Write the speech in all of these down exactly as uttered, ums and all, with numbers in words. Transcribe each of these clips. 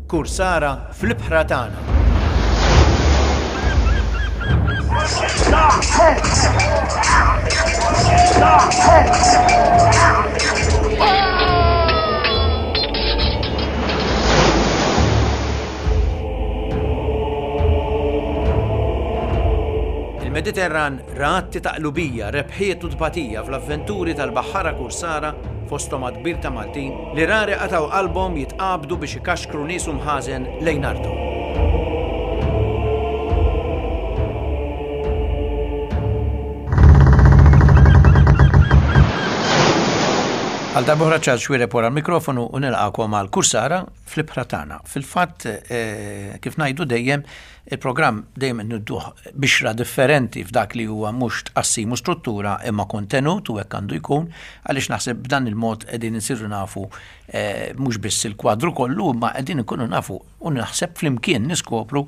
Kursara fl-ibħra tagħna. Il-Mediterran ra atti ta' qlubija, rebħiet u tbatija fl-avventuri tal-baħħara kursara fosthom għadd kbir ta' Maltin li rari qatgħu qalbhom jitqabdu biex ikaxkru nies u mħażen lejn arthom. Għal darb'oħra Charles Xuereb wara l-mikrofonu u nilqakom għal Kursara fl-ibħra tagħna. Fil-fatt, eh, kif ngħidu dejjem, il-programm dejjem nidduh bixra differenti f'dak li huwa mhux tqassim u struttura imma kontenut u hekk għandu jkun, għaliex naħseb b'dan il-mod qegħdin insiru nafu eh, mhux biss il-kwadru kollu imma qegħdin inkunu nafu u naħseb flimkien niskopru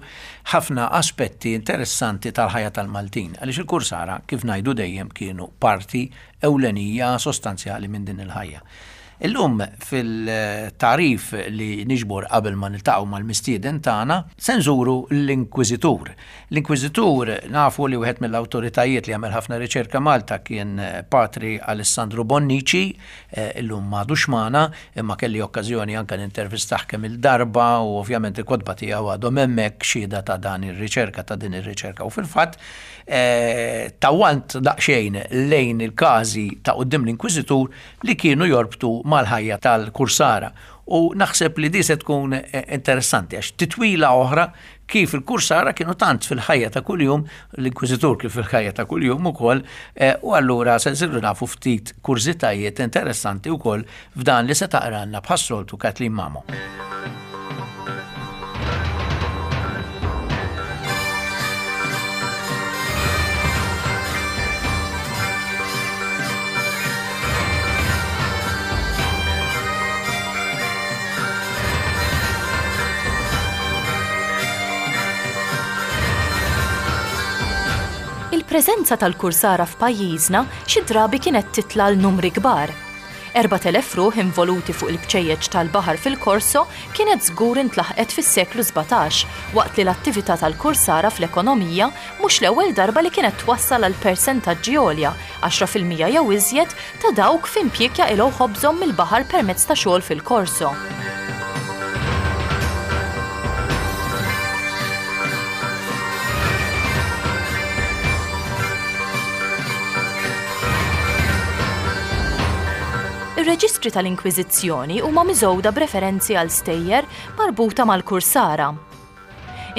ħafna aspetti interessanti tal-ħajja tal-Maltin. Għaliex il-kursara, kif ngħidu dejjem, kienu parti ewlenija sostanzjali minn din il-ħajja. Illum fil-tarif li niġbor qabel ma niltaqgħu mal-mistieden tagħna se nżuru l-Inkwiżitur. L-Inkwiżitur nafu li wieħed mill-awtoritajiet li għamel ħafna riċerka Malta kien Patri Alessandro Bonnici, eh, illum m'għadux magħna, imma kelli okkażjoni anke nintervistah kemm il-darba u ovvjament il-kotba tiegħu għadhom hemmhekk xhieda ta' dan ir-riċerka ta' din ir-riċerka. U fil-fatt eh, tawwalt daqsxejn lejn il-każi ta' quddiem l-Inkwiżitur li kienu jorbtu mal-ħajja tal-kursara. U naħseb li di se tkun eh, interessanti għax titwila oħra kif il-kursara kienu tant fil-ħajja ta' kuljum, l-Inkwiżitur kif fil-ħajja ta' kuljum ukoll, eh, u allura se nsiru nafu ftit kurżitajiet interessanti wkoll f'dan li se taqranna bħas-soltu Kathleen Mamo. Il-preżenza tal-kursara f'pajjiżna xi drabi kienet titla' l numri kbar. Erbat elef ruħ involuti fuq il-bċejjeċ tal-baħar fil-Korso kienet żgur intlaħqet fis-seklu sbatax, waqt li l-attività tal-kursara fl-ekonomija mhux l-ewwel darba li kienet twassal għal persentaġġi għolja, għaxra fil-mija jew iżjed, ta' dawk f'impjieg jaqilgħu ħobżhom mill-baħar permezz ta' xogħol fil-Korso. Ir-reġistri tal-Inkwiżizzjoni huma miżgħuda b'referenzi għal stejjer marbuta mal-kursara.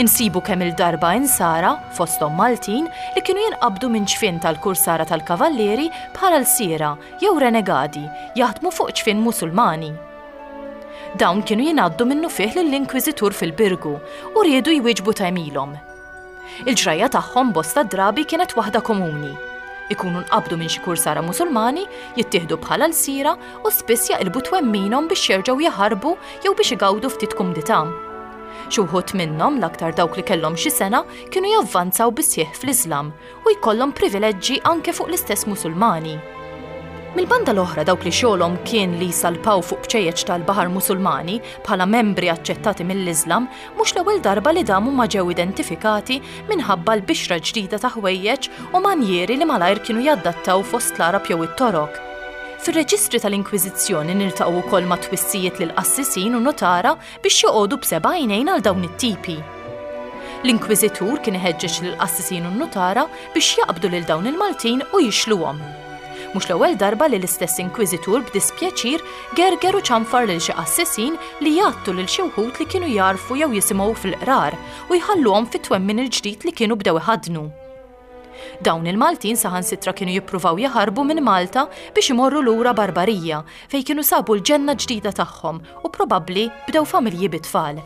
Insibu kemm il-darba insara, fosthom Maltin, li kienu jinqabdu minn ċfien tal-kursara tal-kavallieri bħala lsiera jew renegadi jaħdmu fuq ċfien Musulmani. Dawn kienu jingħaddu minnufih lill-Inkwiżitur fil-Birgu u riedu jwieġbu ta' għemilhom. Il-ġrajja tagħhom bosta drabi kienet waħda komuni. Ikunu nqabdu minn xi kursara Musulmani, jittieħdu bħala lsira u spiss jaqilbu twemminhom biex jerġgħu jaħarbu jew biex igawdu ftit kumdità. Xi wħud minnhom, l-aktar dawk li kellhom xi sena, kienu javvanzaw bisħieħ fl-Iżlam u jkollhom privileġġi anke fuq l-istess Musulmani. Mill-banda l-oħra dawk li xogħolhom kien li jsalpaw fuq bċejjeċ tal-baħar Musulmani bħala membri aċċettati mill-Iżlam mhux l-ewwel darba li damu ma ġew identifikati minħabba l-bixra ġdida ta' ħwejjeġ u manjieri li malajr kienu jaddattaw fost l-Arab jew it-Torok. Fir-reġistri tal-Inkwiżizzjoni niltaqgħu wkoll ma' twissijiet lil qassisin u notara biex joqogħdu b'seba' għajnejn għal dawn it-tipi. L-Inkwiżitur kien iħeġġeġ lil qassisin u notara biex jaqbdu lil dawn il-Maltin u jixluhom. Mhux l-ewwel darba li l-istess Inkwiżitur b'dispjaċir gerger u ċanfar lil xi qassisin li jgħattu lil xi wħud li kienu jarfu jew jisimgħu fil-qrar u jħalluhom fit-twemmin il-ġdid li kienu bdew iħaddnu. Dawn il-Maltin saħansitra kienu jippruvaw jaħarbu minn Malta biex imorru lura Barbarija fejn kienu sabu l-ġenna ġdida tagħhom u probabbli bdew familji bit-tfal.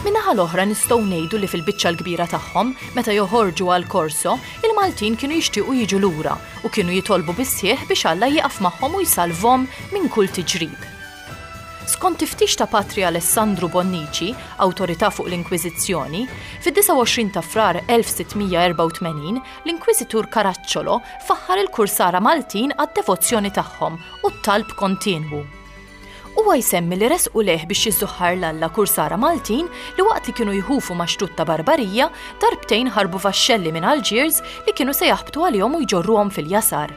Min-naħa l-oħra nistgħu ngħidu li fil-biċċa l-kbira tagħhom, meta joħorġu għal Korso, il-Maltin kienu jixtiequ jiġu lura u kienu jitolbu bis-sieħ biex Alla jieqaf magħhom u jsalvhom minn kull tiġrib. Skont tiftix ta' Patri Alessandru Bonnici, awtorità fuq l-Inkwiżizzjoni, fid-disgħa u għoxrin ta' Frar elf sitt mija erbgħa u tmenin l-Inkwiżitur Caracciolo faħħar il-kursara Maltin għad-devozzjoni tagħhom u t-talb kontinwu. Huwa jsemmi li resqu leh biex jiżżuħħar l-Alla kursara Maltin li waqt li kienu jħufu ma' xtut ta' Barbarija, darbtejn ħarbu vaxxelli minn Algiers li kienu se jaħbtu għalihom u jġorruhom fil-jasar.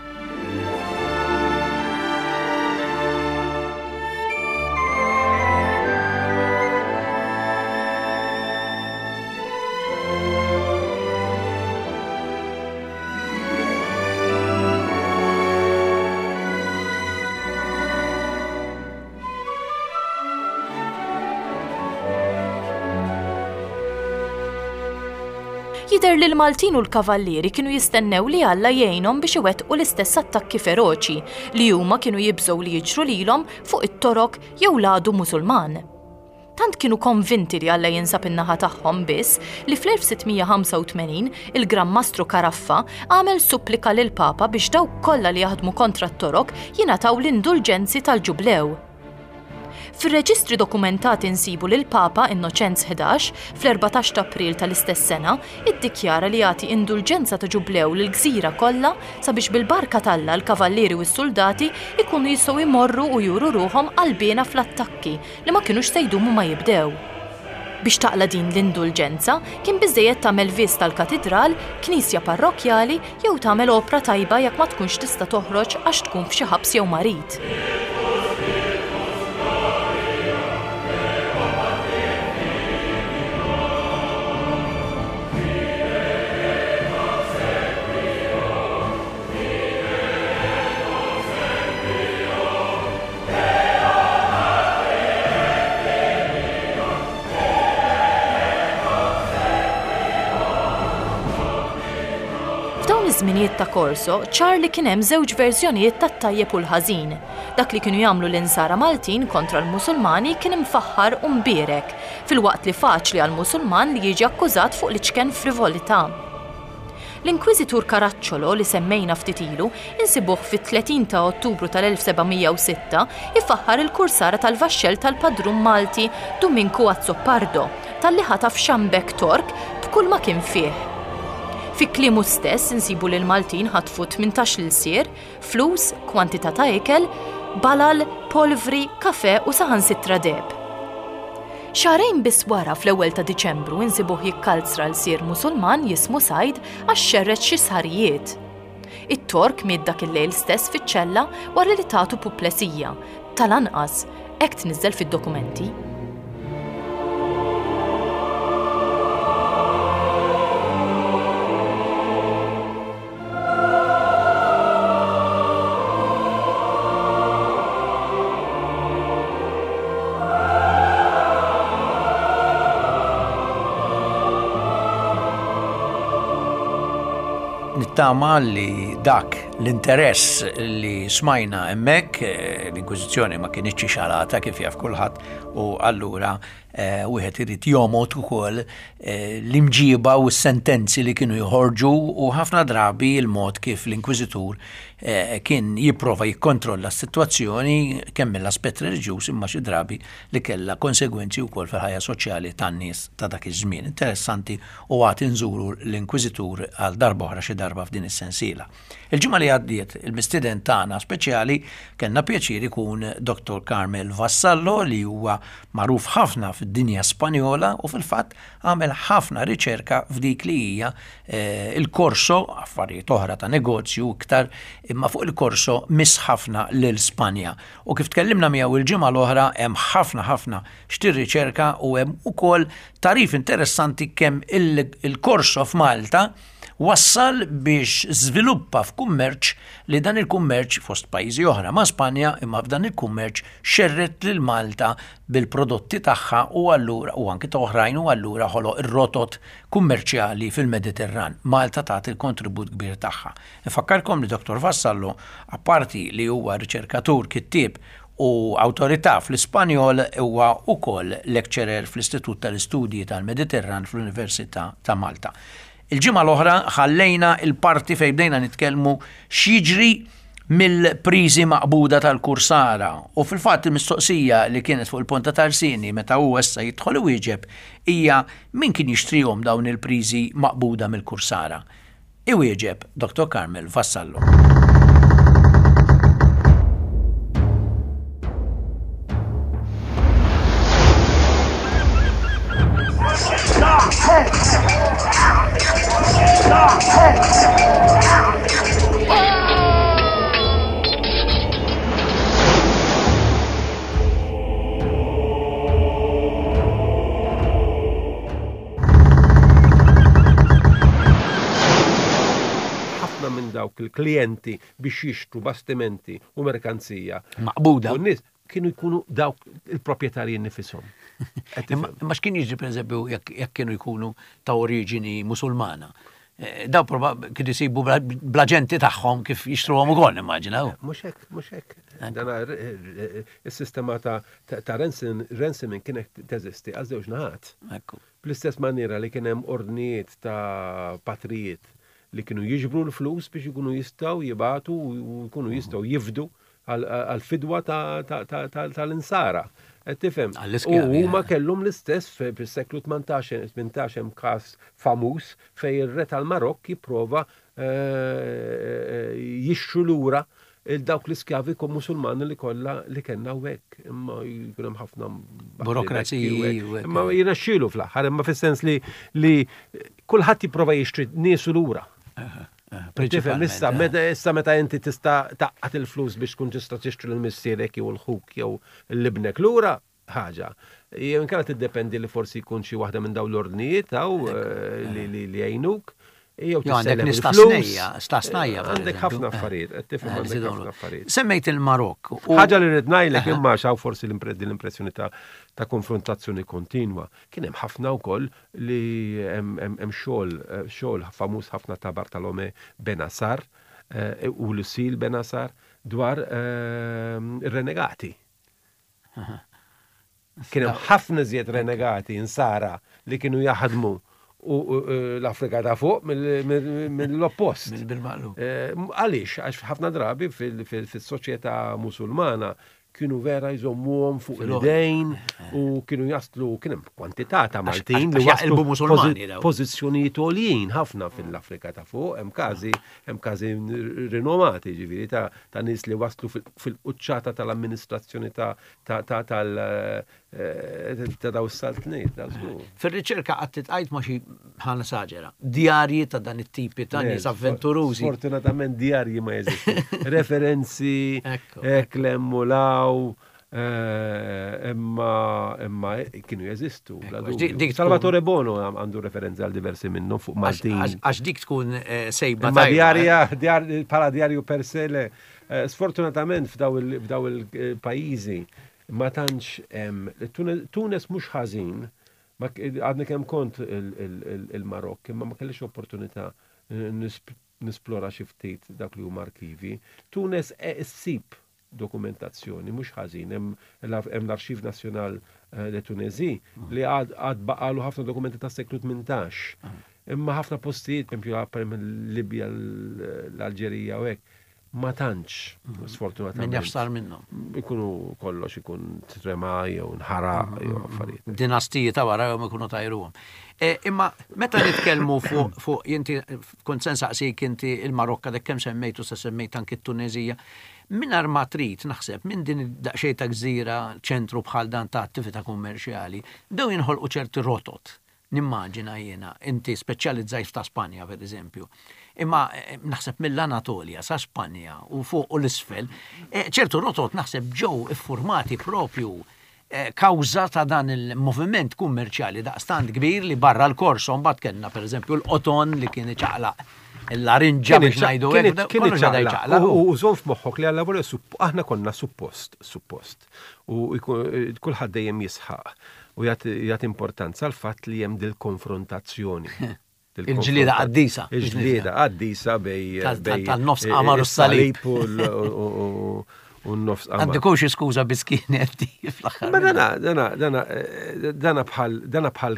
Jidher li l-Maltin u l-Kavallieri kienu jistennew li Alla jgħinhom biex iwettqu l-istess attakki feroċi li huma kienu jibżgħu li jiġru lilhom fuq it-Torok jew l-għadu Musulman. Tant kienu konvinti li Alla jinsab in-naħa tagħhom biss li fl-elf sitt mija ħamsa u tmenin il-Gran Mastru Caraffa għamel supplika lil Papa biex dawk kollha li jaħdmu kontra t-Torok jingħataw l-indulġenzi tal-Ġublew. Fir-reġistri dokumentati nsibu lil Papa Innoċenz ħdax fl-erbatax ta' April tal-istess sena iddikjara li jagħti indulġenza ta' ġublew lil gżira kollha sabiex bil-barka t'Alla l-kavallieri u s-soldati ikunu jistgħu jmorru u juru ruħhom qalbiena fl-attakki li ma kinux se jdumu ma jibdew. Biex taqla din l-indulġenza kien biżżejjed tagħmel vista l-katidral, knisja parrokkjali jew tagħmel opra tajba jekk ma tkunx tista' toħroġ għax tkun f'xi ħabs jew marid. F'dawn iż-żminijiet ta' Corso, ċar li kien hemm żewġ verżjonijiet tat-tajjeb u l-ħażin. Dak li kienu jagħmlu l-insara Maltin kontra l-Musulmani kien imfaħħar u mbierek, filwaqt li faċli għall-Musulman li jiġi akkużat fuq l-iċken frivolità. L-Inkwiżitur Caracciolo li semmejna ftit ilu insibuh fit-tletin ta' Ottubru tal-elf seba' mija u sitta ifaħħar il-kursara tal-vaxxell tal-padrun Malti Duminku Azzopardo talli ħataf xambek Tork b'kull ma kien fih. Fi kliemu stess insibu li l-Maltin ħatfu tmintax l-ilsier, flus, kwantità ta' ikel, balal, polvri, kafe u saħansitra deheb. Xahrejn biss wara fl-ewwel ta' Diċembru insibuh jikkalzra l-sir Musulman jismu Sajd għax xerred xi sħarijiet. It-Tork miet dak il-lejl stess fiċ-ċella wara li tatu puplesija, tal-anqas, hekk tniżżel fid-dokumenti. Nittama li dak l-interess li smajna hemmhekk, eh, l-Inkwiżizzjoni ma kinitx xalata kif jaf kulħadd, u allura, eh, wieħed irid jomgħod ukoll, eh, l-imġiba u s-sentenzi li kienu joħorġu u ħafna drabi il-mod kif l-Inkwiżitur, eh, kien jipprova jikkontrolla s-sitwazzjoni kemm mill-aspett reliġjuż imma xi drabi li kellha konsegwenzi wkoll fil-ħajja soċjali tan-nies ta' dak iż-żmien. Interessanti u għad inżuru l-Inkwiżitur għal darba oħra xi darba f'din is-sensiela. Il-ġimgħa li għaddiet il-mistieden tagħna speċjali kellna pjaċir ikun Doktor Carmel Vassallo li huwa magħruf ħafna fid-dinja Spanjola u fil-fatt għamel ħafna riċerka f'dik li hija, eh, il-korso, affarijiet oħra ta' negozju iktar, imma fuq il-korso miss ħafna lil Spanja. U kif tkellimna miegħu il-ġimgħa l-oħra hemm ħafna ħafna x'tirriċerka u hemm ukoll tarif interessanti kemm il-, il-korso f'Malta wassal biex żviluppa f'kummerċ li dan il-kummerċ fost pajjiżi oħra ma' Spanja, imma f'dan il-kummerċ xerret lil Malta bil-prodotti tagħha u allura u anki ta' oħrajn u allura ħoloq ir-rotot kummerċjali fil-Mediterran. Malta tagħti il-kontribut kbir tagħha. Nfakkarkom li Doktor Vassallo, apparti li huwa riċerkatur, kittieb u awtorità fl-Ispanjol, huwa wkoll lecturer fl-Istitut tal-Istudji tal-Mediterran fl-Università ta' Malta. Il-ġimgħa l-oħra ħallejna il-parti fejn bdejna nitkellmu x'jiġri mill-priżi maqbuda tal-kursara u fil-fatt il-mistoqsija li kienet fuq il-ponta tal-sini meta hu issa jidħol iwieġeb hija min kien jixtrihom dawn il-priżi maqbuda mill-kursara. Iwieġeb Dottor Carmel Vassallo. Ħafna minn dawk il-klijenti biex jixtru bastimenti u merkanzija. Maqbuda. U n-nies kienu jkunu dawk il-proprjetarji nifishom. Imma x'kien jiġri pereżempju jekk kienu jkunu ta' oriġini Musulmana? Daw kienu jsibu bl-aġenti tagħhom kif jixtruhom ukoll, immaġina. Mhux hekk, mhux hekk. Dana is-sistema ta' ransoming kienet teżisti għal żewġ naħat. Bl-istess maniera li kien hemm ordnijiet ta' patrijiet li kienu jiġbru l-flus biex ikunu jistgħu jibatu u jkunu jistgħu jifdu għal-fidwa tal-insara. Tifhem? U huma kellhom l-istess fis-seklu tmintax hemm każ famuż fejn ir-re tal-Marokk jipprova jixtru lura dawk l-iskjavi Musulmani li kollha li kellna hawnhekk. Imma jkun hemm ħafna burokraziji. Imma jirnexxielu fl-aħħar, imma fis-sens li kulħadd jipprova jixtri niesu lura. Tifhem, issa issa meta inti tista' taqqat il-flus biex tkun tista' tixtri lil missierek jew l-ħuk jew l-ibnek lura, ħaġa. Jew inkella tiddependi li forsi jkun xi waħda minn dawn l-ordnijiet hawn li jgħinuk. Jew għandek nistasnejja, stasnajja. Għandek ħafna affarijiet, qed tifhem għandek ħafna affarijiet. Semmejt il-Marokk. Ħaġa li rrid ngħidlek imma x'hawn forsi l-impressjoni ta' konfrontazzjoni kontinwa. Kien hemm ħafna wkoll li hemm xogħol xogħol famuż ħafna ta' Bartolome Benassar u Lucille Benassar dwar ir-renegati. Kien hemm ħafna iżjed renegati insara li kienu jaħdmu u l-Afrika ta' fuq mill-oppost. Għaliex, għax ħafna drabi fis-soċjetà Musulmana kienu vera jżommuhom fuq l-idejn u kienu jaslu, kien hemm kwantità ta' Maltin li waslu pożizzjonijiet għoljin ħafna fil-Afrika ta' fuq, hemm każi hemm każi rinomati ġifieri ta' nies li waslu fil-quċċata tal-amministrazzjoni ta' tal ta' daw is-saltniet. Fir-riċerka qatt titqajt ma' xi ħa saġera, djarji ta' dan it-tipi ta' nies avventurużi. Sfortunatament djarji ma jeżistu. Referenzi, klem u law, imma imma kienu jeżistu. Salvatore Bono għandu referenzi għal diversi minnhom fuq Maltin. Għax dik tkun sejba. Ma djarja, bħala djarju per se, sfortunatament f'daw il-pajjiżi ma tantx hemm Tunes mhux ħażin, għadni kemm kont il-Marokk, imma ma kellix opportunità nisplora xi ftit dak li huma arkivi. Tunes issib dokumentazzjoni mhux ħażin, hemm l-Arxiv Nazzjonal de Tunisie li għad baqalu ħafna dokumenti tas-seklu tmintax. Imma ħafna postijiet, pereżempju Libja, l-Alġerija u hekk, ma tantx, sfortunatament. Min jaf sar minnhom. Ikunu kollox ikun trema jew nħaraq jew affarijiet. Dinastiji ta' wara jew ikunu tajruhom. Imma meta nitkellmu fuq fuq inti kont se nsaqsik inti il-Marokka dak kemm semmejtu sa semmejt anki t-Tuneżija. Mingħajr ma trid naħseb minn din daqsxejn ta' gżira ċentru bħal dan ta' attività kummerċjali, bdew jinħolqu ċerti rotot. Nimmaġina jiena, inti speċjalizzajt ta' Spanja per eżempju. Imma naħseb mill-Anatolja sa Spanja u fuq u l-isfel, ċertu rotot naħseb ġew iffurmati propju kawża ta' dan il-moviment kummerċjali daqstant kbir li barra l-korso mbagħad kellna pereżempju l-qoton li kien iċaqlaq l-larinġa biex ngħidu hekk, kien iċaqlaq. U żomm f'moħħok li għal aħna konna suppost, suppost. U kulħadd dejjem jisħaq u jagħti importanza għal fatt li hemm dil-konfrontazzjoni. Il-ġlieda qaddisa. Il-ġlieda qaddisa bej tal-nofs qamar u s-salib. U n-nofs qamar. Għandikux xi skuża biss kienet fl-aħħar. Ma dana dana dana dana bħal dana bħal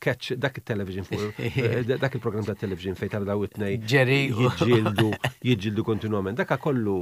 Catch dak il-television fuq eh, dak il-programm ta' television fejn tara daw it-tnejn Jerry u- jiġġieldu jiġġieldu kontinwament. Dak kollu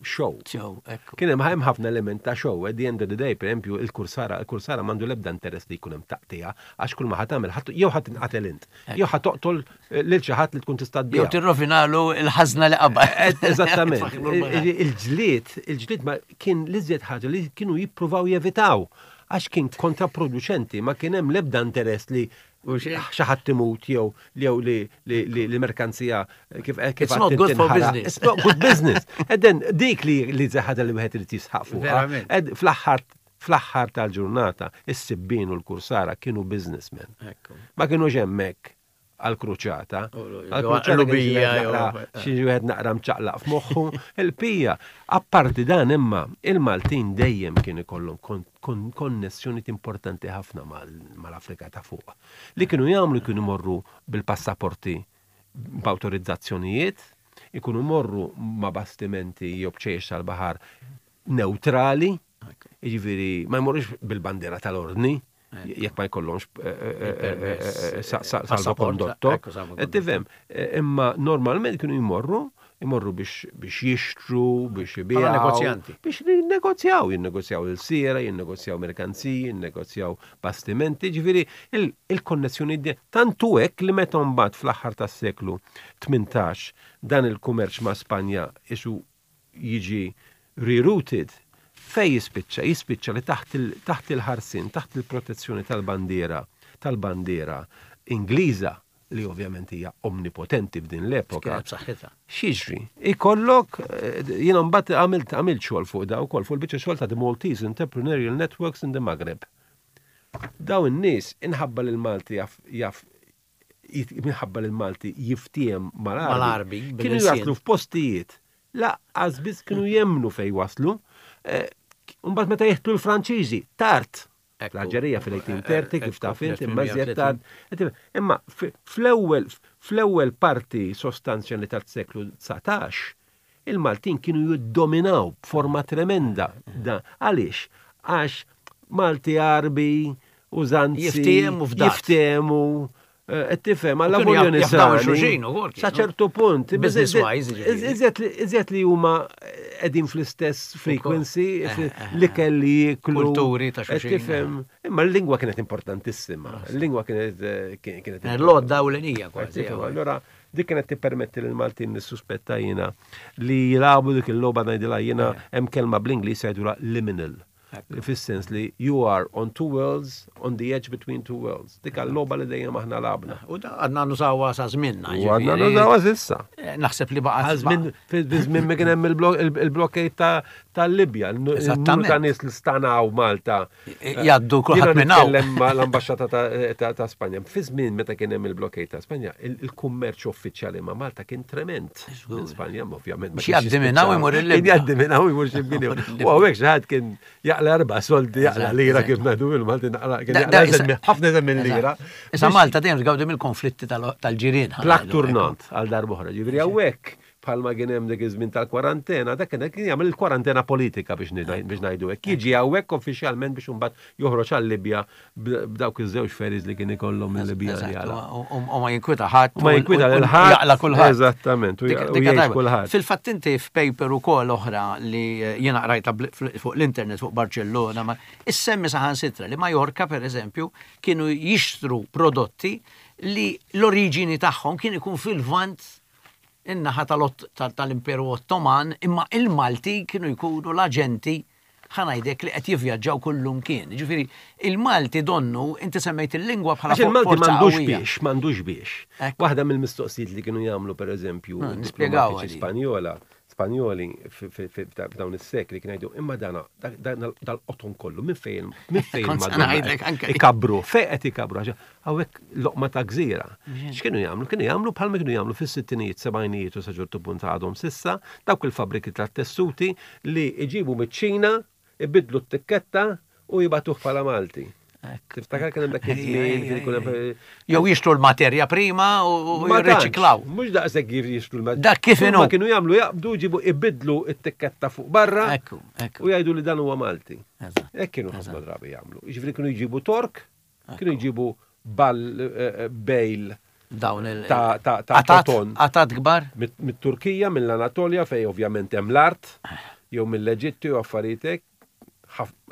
show. Show, ekku. Kien hemm hemm ħafna element ta' show. At the end of the day, per esempio, il-kursara, il-kursara m'għandu l-ebda interess li jkun hemm taqtija għax kull ma ħa tagħmel ħadd- jew ħadd tinqatel int, jew ħa toqtol eh, lil xi ħadd li tkun tista' Jew tbiegħ. tirrovinalu il-ħażna li qabel. Eżattament. Il-ġlied, il-ġlied ma kien l-iżjed ħaġa li kienu jippruvaw jevitaw għax kien kontraproducenti, ma kien hemm l-ebda interess li xi ħadd imut jew jew li li li l-merkanzija kif kif It's not good for business. It's not good business. And then dik li li ħaġa li wieħed irid jisħaq fuqha. Verament. Ed fl-aħħar fl-aħħar tal-ġurnata is-sibbin u l-kursara kienu businessmen. Ekku. Ma kienux hemmhekk għal-kruċata. U- Għal-kruċata kien xi Lubija, wieħed jew- naqra- xi wieħed naqra mċaqlaq f'moħħu. Il-pija, apparti dan imma, il-Maltin dejjem kien ikollhom kon- kon- konnessjoni importanti ħafna mal- mal-Afrika ta' fuq. Li kienu jagħmlu kienu morru bil-passaporti b'awtorizzazzjonijiet, ikunu morru ma' bastimenti jew bċejjex tal-baħar neutrali, jiġifieri ma jmorrux bil-bandiera tal-ordni, jekk ma jkollhomx eh, eh, eh, eh, sa- sa- salvokondotto. Ekku, salvokondotto. Tifhem, imma normalment kienu jmorru, jmorru biex biex jixtru, biex ibiegħu. negozjanti. Biex jinnegozjaw, jinnegozjaw il-sira, jinnegozjaw merkanziji, jinnegozjaw bastimenti, ġifieri il- il-konnessjoni di- tantu hekk li meta mbagħad fl-aħħar tas-seklu tmintax dan il-kummerċ ma' Spanja isu jiġi rerouted, fej jispiċċa? Jispiċċa li taħt il- taħt il-ħarsin, taħt il-protezzjoni tal-bandiera, tal-bandiera Ingliża, li ovvjament hija omnipotenti f'din l-epoka. Kienet b'saħħitha. X'jiġri? Ikollok, eh, jiena mbagħad għamilt għamilt xogħol fuq da wkoll fuq il-biċċa xogħol ta' The Maltese Entrepreneurial Networks in the Maghreb. Daw in-nies inħabba lil Malti jaf jaf jit- minħabba lil Malti jiftiem mal-Arbi. Mal-Arbi, Kienu bil-ilsien. jaslu f'postijiet. Laqqas biss kienu jemnu fej waslu. Eh, Mbagħad meta jeħtu l-Franċiżi, tard. Ekku. L-Alġerija fil-eighteen thirty kif taf int, imma iżjed fil-eighteen thirty. tard. Imma f- fl-ewwel fl-ewwel parti sostanzjali tas-seklu dsatax, il-Maltin kienu jiddominaw b'forma tremenda. Da, għaliex? Għax Malti Arbi, użanzi. Jiftiehmu f'dat. Jiftiehmu. Eh, tifhem, għalla kienu volja jaf- jafdaw nisrani. il-xulxin ukoll Sa kienu. ċertu punt. Business wise, ġifieri. Iżjed li- iżjed li huma qegħdin fl-istess frequency, Eh, eh, li kelli jiklu. Kulturi ta' Qed xulxin. Tifhem, imma l-lingwa kienet importantissima. Il-lingwa kienet eh, kien- kienet L-għodda u l-enija kważi. Tifhem, allora dik kienet tippermetti lil Maltin nissuspetta jiena li jilagħbu dik il-logħba ngħidilha jiena hemm kelma bl-Ingliż jgħidulha liminal. Fis-sens li you are on two worlds, on the edge between two worlds. Dik l-logħba li dejjem aħna lagħabna. U da għadna nużawha sa żminna. U għadna ġifieri. nużawha s'issa. Eh, Naħseb li baqgħet. Għażmin, fi żmien ma kien hemm il-blockade ta' tal-Libja, il-numru ta' nies li stanaw Malta. Jgħaddu kulħadd Jiena minn hawn. nitkellem ma' l-ambasċata ta' ta' ta' Spanja. Fi żmien meta kien hemm il-blockade ta' Spanja, il- il-kummerċ uffiċjali ma' Malta kien trement. Minn Spanja, ma ovvjament. ma Biex kienx jgħaddi minn hawn jispiċċa. imur il-Libja. Kien jgħaddi minn hawn imur xi U hawnhekk xi ħadd kien jaqla erba' soldi, jaqla lira kif ngħidu bil-Malti naqla kien Da- jaqla da- eżem- issa- ħafna eżem minn lira. Issa Malta dejjem tgawdi mill-konflitti tal- tal-ġirien. Plaque tournante għal darb'oħra. Ġifieri hawnhekk bħalma kien hemm dik iż-żmien tal-kwarantena, dak kien kien jagħmel il-kwarantena politika biex ngħid- biex ngħidu hekk. Jiġi hawnhekk uffiċjalment biex imbagħad joħroġ għal-Libja b'dawk iż-żewġ ferries li kien ikollhom mill-Libja li Eżatt, għala. U u- u ma jinkwita ħadd. U ma jinkwita lil ħadd. Jaqla kulħadd. Eżattament, u Dik- u dik jgħix tajba. kulħadd. Fil-fatt inti f'paper ukoll oħra li eh, jiena qrajta bl- fl- fuq l-internet fuq Barcellona, ma issemmi saħansitra li Majorka per eżempju kienu jixtru prodotti li l-oriġini tagħhom kien ikun fil-Lvant in-naħa tal-Ott- tal- tal-Imperu Ottoman, imma il-Malti kienu jkunu l-aġenti ħa ngħidlek li qed jivvjaġġaw kullum kien. Ġifieri, il-Malti donnu, inti semmejt il-lingwa bħala Għax il-Malti forza m'għandux qawwija. biex, m'għandux biex. Ekku. Waħda mill-mistoqsijiet li kienu jagħmlu pereżempju Ah, nispjegaw diplomatiċi għadi. Spanjola, Spanjoli fi- fi- fi- f'dawn is-sekli kienu jgħidu imma dana dan dal-qoton kollu minn fejn minn fejn Kont se Madonna ngħidlek anke. ikabru, fejn qed ikabru għax hawnhekk loqma ta' gżira. X'kienu jagħmlu? Kienu jagħmlu bħalma kienu jagħmlu fis-sittinijiet, sebgħinijiet u sa ċertu punt għadhom s'issa, dawk il-fabriki tat-tessuti li iġibu miċ-Ċina, ibidlu t-tikketta u jibagħtuh bħala Malti. Tiftakar kien hemm dak iż-żmien kien ikun hemm Jew jixtru l-materja prima u u Ma tantx, jirriċiklaw. Mhux daqshekk jixtru l-materja. Dak kif inhu. Ma kienu jagħmlu jaqbdu jġibu ibidlu t-tikketta fuq barra Ekku, ekku. u jgħidu li dan huwa Malti. Eżatt. Hekk kienu ħafna drabi jagħmlu. Jiġifieri kienu jġibu Tork, kienu jġibu bal eh, bale Dawn il- ta' ta' ta' Qatat, qoton. qatat kbar. Mit- Mit-Turkija, mill-Anatolja, fej ovvjament hemm l-art, jew mill-Eġittu jew affarijiet hekk,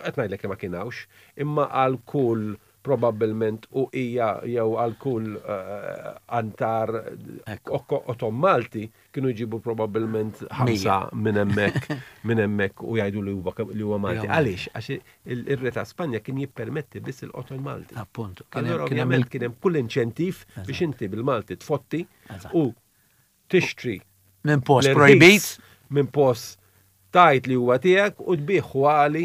qed ngħidlek li ma kienawx, imma għal kull probabbilment u hija jew għal kull eh, antar qoton Malti kienu jġibu probabbilment ħamsa minn hemmhekk minn hemmhekk u jgħidu li huwa li huwa Malti. Għaliex? Għax il-re ta' Spanja kien jippermetti biss il-qoton Malti. Appuntu. Allora ovvjament kien hemm kull inċentiv biex inti bil-Malti tfotti u tixtri minn post l-irħis projbit. Minn post tajt li huwa tiegħek u tbieħu għali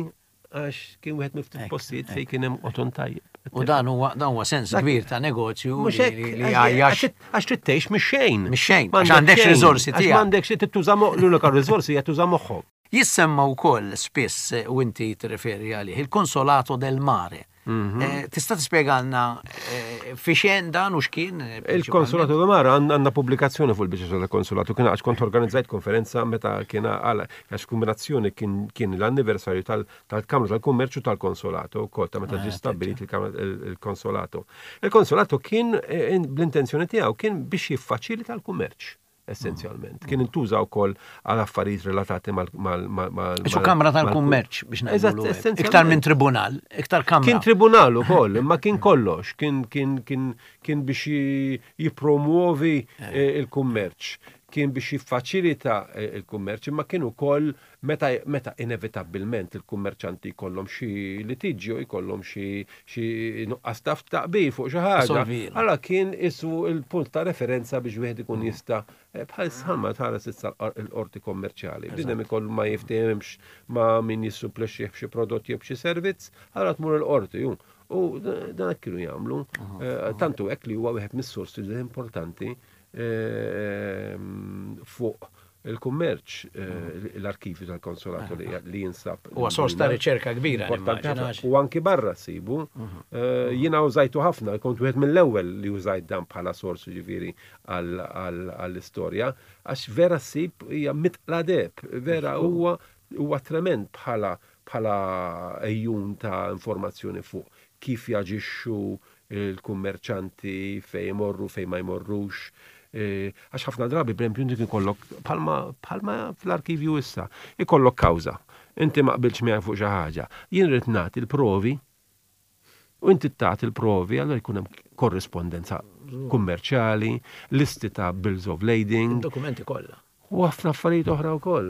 għax kien wieħed miftit Ekk, postijiet fejn kien hemm qoton tajjeb. U dan huwa dan huwa sens kbir ta' negozju Mhux li hekk, li għax- għajjax. għax għax trid tgħix mix-xejn. Mix-xejn, M'għandek għax għandekx xejn, riżorsi Għax tiegħek. m'għandekx trid tuża mo- l-unika riżorsi hija tuża moħħok. Jissemma wkoll spiss eh, u inti tirreferi għalih il-Consolato del Mare. Mhm. Eh, Tista' tispjegalna eh, fi xejn dan u x'kien? eh, Il-Konsolato del Mare għandna pubblikazzjoni fuq il-biċċa tal-Konsolato, kien għax kont organizzajt konferenza meta kien għal għax kombinazzjoni kien kien l-anniversarju tal- tal-Kamra tal-Kummerċu tal-Konsolato wkoll ta' meta ġie stabbilit il-Kamra- il- il-Konsolato. Il-Konsolato kien eh, in- bl-intenzjoni tiegħu kien biex jiffaċilita l-kummerċ essenzjalment. Kien intuża wkoll għal affarijiet relatati mal mal mal mal Isu Kamra tal-Kummerċ biex Eżatt, ngħidu. essenzjalment. Iktar minn tribunal, iktar kamra. Kien tribunal ukoll, imma kien kollox, kien kien kien kien biex ji- jipromuovi eh, il-kummerċ, kien biex jiffaċilita eh, il-kummerċ, imma kien ukoll meta meta inevitabilment il-kummerċanti jkollhom xi litiġġju, jkollhom xi xi nuqqas taf taqbil fuq xi ħaġa. Solvila. Allora kien isu il-punt ta' referenza biex wieħed ikun jista' eh, bħal sħalma tħares issa l-qorti kommerċjali. Bniedem ikollu ma jiftehemx ma' min jissuplexxih b'xi prodott jew b'xi servizz, allora tmur il-qorti ju. U dan hekk kienu jagħmlu. Eh, Tantu hekk li huwa wieħed mis-sorsi importanti eh, fuq il-kummerċ, eh, l-arkivju tal-konsolato li li jinsab. Huwa sors ta' riċerka kbira, Importanti nimmaġina. ħafna. U anki barra sibu. Eh, Jiena użajtu ħafna, kont wieħed mill-ewwel li użajt dan bħala sors ġifieri għall-istorja, għax vera ssib hija mitqla deheb, vera huwa huwa trement bħala bħala ejjun ta' informazzjoni fuq kif jaġixxu il-kummerċanti fej imorru, fej ma jmorrux. Eh, Għax ħafna drabi, per esempio, inti ikollok bħalma bħalma fl-arkivju issa, ikollok kawża. Inti ma qbilx miegħek fuq xi ħaġa. Jien rrid nagħti l-provi u inti tagħti l-provi, allora jkun hemm korrispondenza kummerċjali, listi ta' bills of lading, Dokumenti kollha. u ħafna affarijiet oħra wkoll.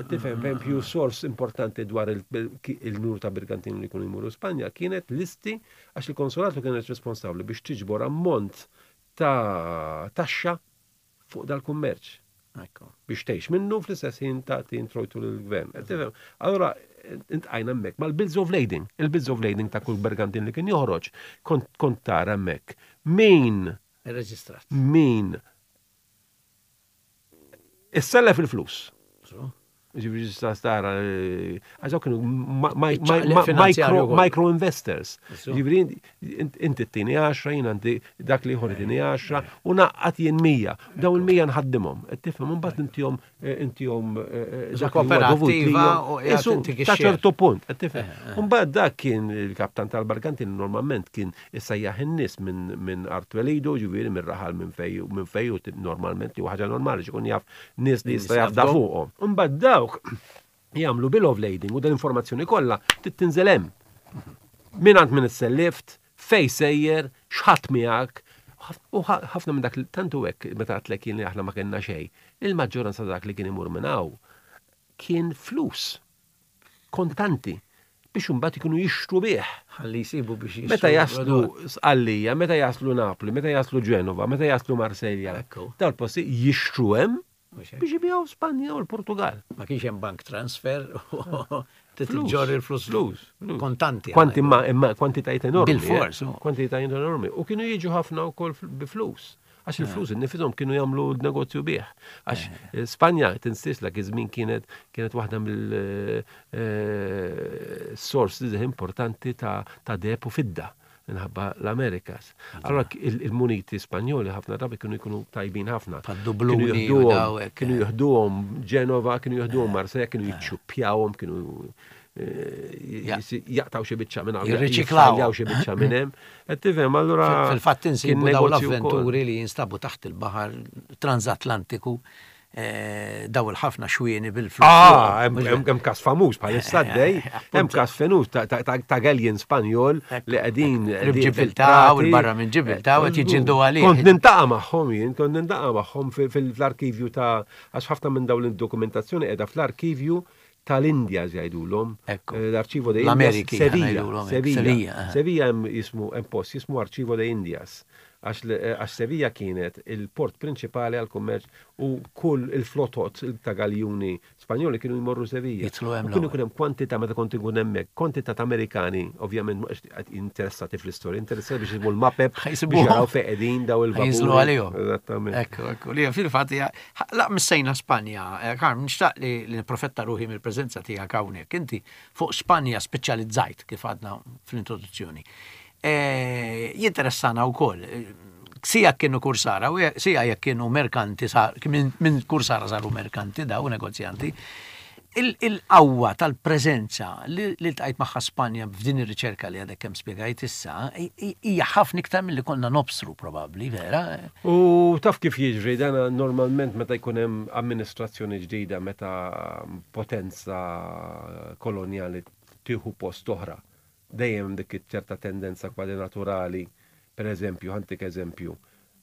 Tifhem, per esempio, sors importanti dwar il- il-nur ta' Bergantini li jkunu jmurru Spanja kienet listi għax il-konsolatu kienet responsabbli biex tiġbor ammont ta' taxxa fuq dal-kummerċ Ekku. biex tgħix minnu fl-istess ħin tagħti introjtu lill-gvern. Tifhem? Allora intqajna hemmhekk mal-bills of lading, il-bills of lading ta' kull bergantin li kien joħroġ, kont kont tara hemmhekk. Min Irreġistrat. min issellef il-flus. So? Ġifieri ġista stara, eh, għax dawk kienu ma- ma- Iċ-ċaqliq ma- finanzjarju micro wkoll. micro investors. So. Ġifieri int- inti t-tini għaxra, jien għandi dak li ieħor tini għaxra, u naqqat jien mija. Daw il-mija nħaddimhom. Qed Tifhem, mbagħad intihom eh, intihom eh, eh, Isu dak li huwa dovut kooperativa lilhom. u qiegħed Isu, intik ta' ix-share. ċertu punt, qed tifhem. Mbagħad dak kien il-kaptan tal-Bargantin normalment kien issejjaħ in-nies minn minn art twelidu, ġifieri minn raħal minn fej minn fej u normalment li huwa ħaġa normali x'ikun jaf nies li jista' jafda jafdhom. fuqhom. Mbagħad dawk jagħmlu bill of lading u dan l-informazzjoni kollha tinżel hemm. Min għand min issellift, fej sejjer, x'ħadd miegħek, u ħafna minn dak li tantu hekk meta għedtlek jien li aħna ma kellna xejn. Il-maġġoranza dak li kien imur minn hawn kien flus kontanti biex imbagħad ikunu jixtru bih. Ħalli jsibu biex jixtru Meta jaslu prodott. Sqallija, meta jaslu Napoli, meta jaslu Ġenova, meta jaslu Marselja, Ekku. dal-posti jixtru hemm Mhux hekk. biex ibijaw Spanja u l-Portugal. Ma kienx hemm bank transfer Flus, titġorr il-flus flus, flus. kontanti. Kwanti ma, imma kwantitajiet enormi. Bil-fors, eh. oh. Kwantitajiet enormi. U kienu jiġu ħafna wkoll fl- bi flus. Għax il-flus innifishom kienu jagħmlu negozju bih. Għax eh, Spanja tinsiex dak iż-żmien kienet kienet waħda mill-sors importanti ta' ta' deheb u fidda. Minħabba l-Amerikas. Allora il-muniti Spanjoli ħafna drabi kienu jkunu tajbin ħafna. Bħad-dubluni. Kienu jieħduhom Ġenova, kienu jieħduhom Marseille, kienu jiċċuppjawhom, kienu eh, jaqtaw xi biċċa minn hawn. Jirriċiklaw. Xi biċċa minn hemm. Qed tifhem allura. Fil-fatt insibu dawn l-avventuri li jinstabu taħt il-baħar transatlantiku eh, daw il-ħafna xwieni bil-flus. Ah, hemm każ famuż bħalissa dej, hemm każ famuż ta' galleon Spanjol li qegħdin Ġibiltà u barra minn Ġibiltà u qed jiġġieldu għalih. Kont niltaqa' magħhom jien, kont niltaqa' magħhom fl-arkivju ta' għax ħafna minn dawn il-dokumentazzjoni qiegħda fl-arkivju tal-Indja jgħidulhom. L-Archivo de Indias. Sevilla. Sevilla. Sevilla hemm jismu hemm post jismu Archivo de Indias. Għax Sevilla kienet il-port prinċipali għal kummerċ u kull il-flotot ta' galjuni Spanjoli kienu jmorru Sevilla. Kienu jkun hemm kwantità meta kont inkun hemmhekk, kwantità ta' Amerikani, ovvjament mhux interessati fl-istorja, interessati biex jisibu l-mapep, biex jaraw fejn qegħdin daw il-vapuri. Jinżlu għalihom. Eżattament. Ekku, ekku, li fil-fatt la missejna Spanja, Karm, nixtaq li nipprofitta ruħi mill-preżenza tiegħek hawnhekk. Inti fuq Spanja speċjalizzajt kif għadna fl-introduzzjoni. Jinteressana wkoll sija kienu kursara, u sija jekk kienu merkanti, minn kursara saru merkanti daw negozjanti, il-qawwa tal-preżenza li ltqajt magħha Spanja f'din ir-riċerka li għadek kemm spjegajt issa, hija ħafna iktar milli konna nobsru probabbli, vera? U taf kif jiġri, dan normalment meta jkun hemm amministrazzjoni ġdida, meta potenza kolonjali tieħu post oħra, dejjem dik ċerta tendenza kważi naturali, per eżempju, ħa ntik eżempju,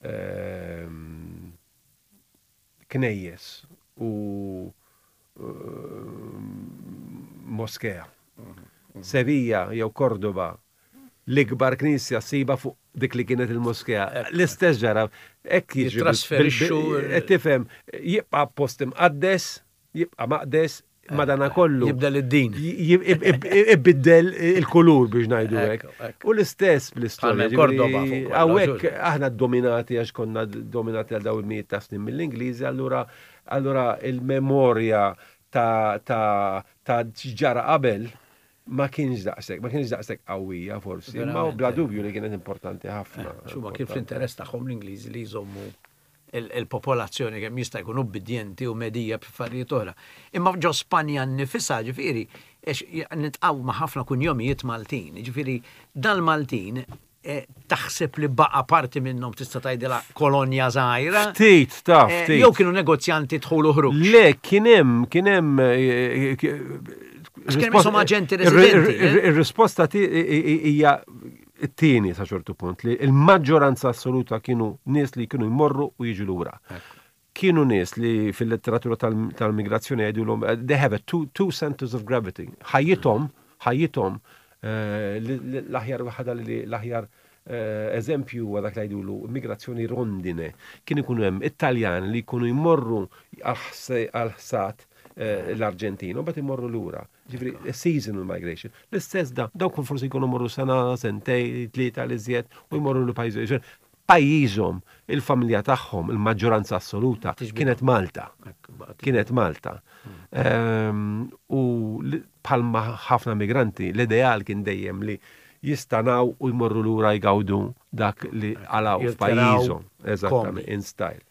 ehm, knejjes u moskea. Sevilla jew Cordoba, l-ikbar knisja ssiba fuq dik li kienet il-moskea. L-istess ġara, hekk jiġri. Jitrasferixxu. Tifhem, jibqa' post imqaddes, jibqa' maqdes, madana kollu. Jibdel id-din. Ibiddel il-kulur biex ngħidu hekk. U l-istess bl-istorja. Cordoba fuq. Hawnhekk aħna dominati għax konna dominati għal daw il-mijiet ta' snin mill-Ingliżi, allura allura il-memorja ta' ta' ta' ġara qabel ma kienx daqshekk, ma kienx daqshekk qawwija forsi, imma bla dubju li kienet importanti ħafna. Xuma kien fl-interess tagħhom l-Ingliżi li jżommu il-popolazzjoni kemm jista' jkun ubbidjenti u medija b'affarijiet oħra. Imma ġo Spanja nnifisha ġifieri niltaqgħu ma' ħafna kunjomijiet Maltin, ġifieri dal-Maltin taħseb li baqa parti minnhom tista' tgħidilha kolonja żgħira. Ftit, ta' ftit. Jew kienu negozjanti dħul u ħruġ. Le, kien hemm, kien hemm Kien hemm aġenti residenti. Ir-risposta hija t-tieni sa ċertu punt li il-maġġoranza assoluta kienu nies li kienu jmorru u jiġu lura. Kienu nies li fil-letteratura tal-migrazzjoni jgħidulhom they have a two, two centers of gravity. Ħajjithom, ħajjithom l-aħjar waħda li l-aħjar eżempju huwa dak li jgħidulu migrazzjoni rondine. Kien ikunu hemm Italjan li jkunu jmorru għal-ħsat l-Arġentina u mbagħad imorru lura. Ġifieri seasonal migration. L-istess da, dawk forsi jkunu morru sena, sentej, tlieta li żjed u jmorru l pajjiż. Pajjiżhom, il-familja tagħhom, il-maġġoranza assoluta kienet Malta. Kienet Malta. U bħalma ħafna migranti, l-ideal kien dejjem li jistanaw u jmorru lura jgawdu dak li għalaw f'pajjiżhom. Eżattament, in style.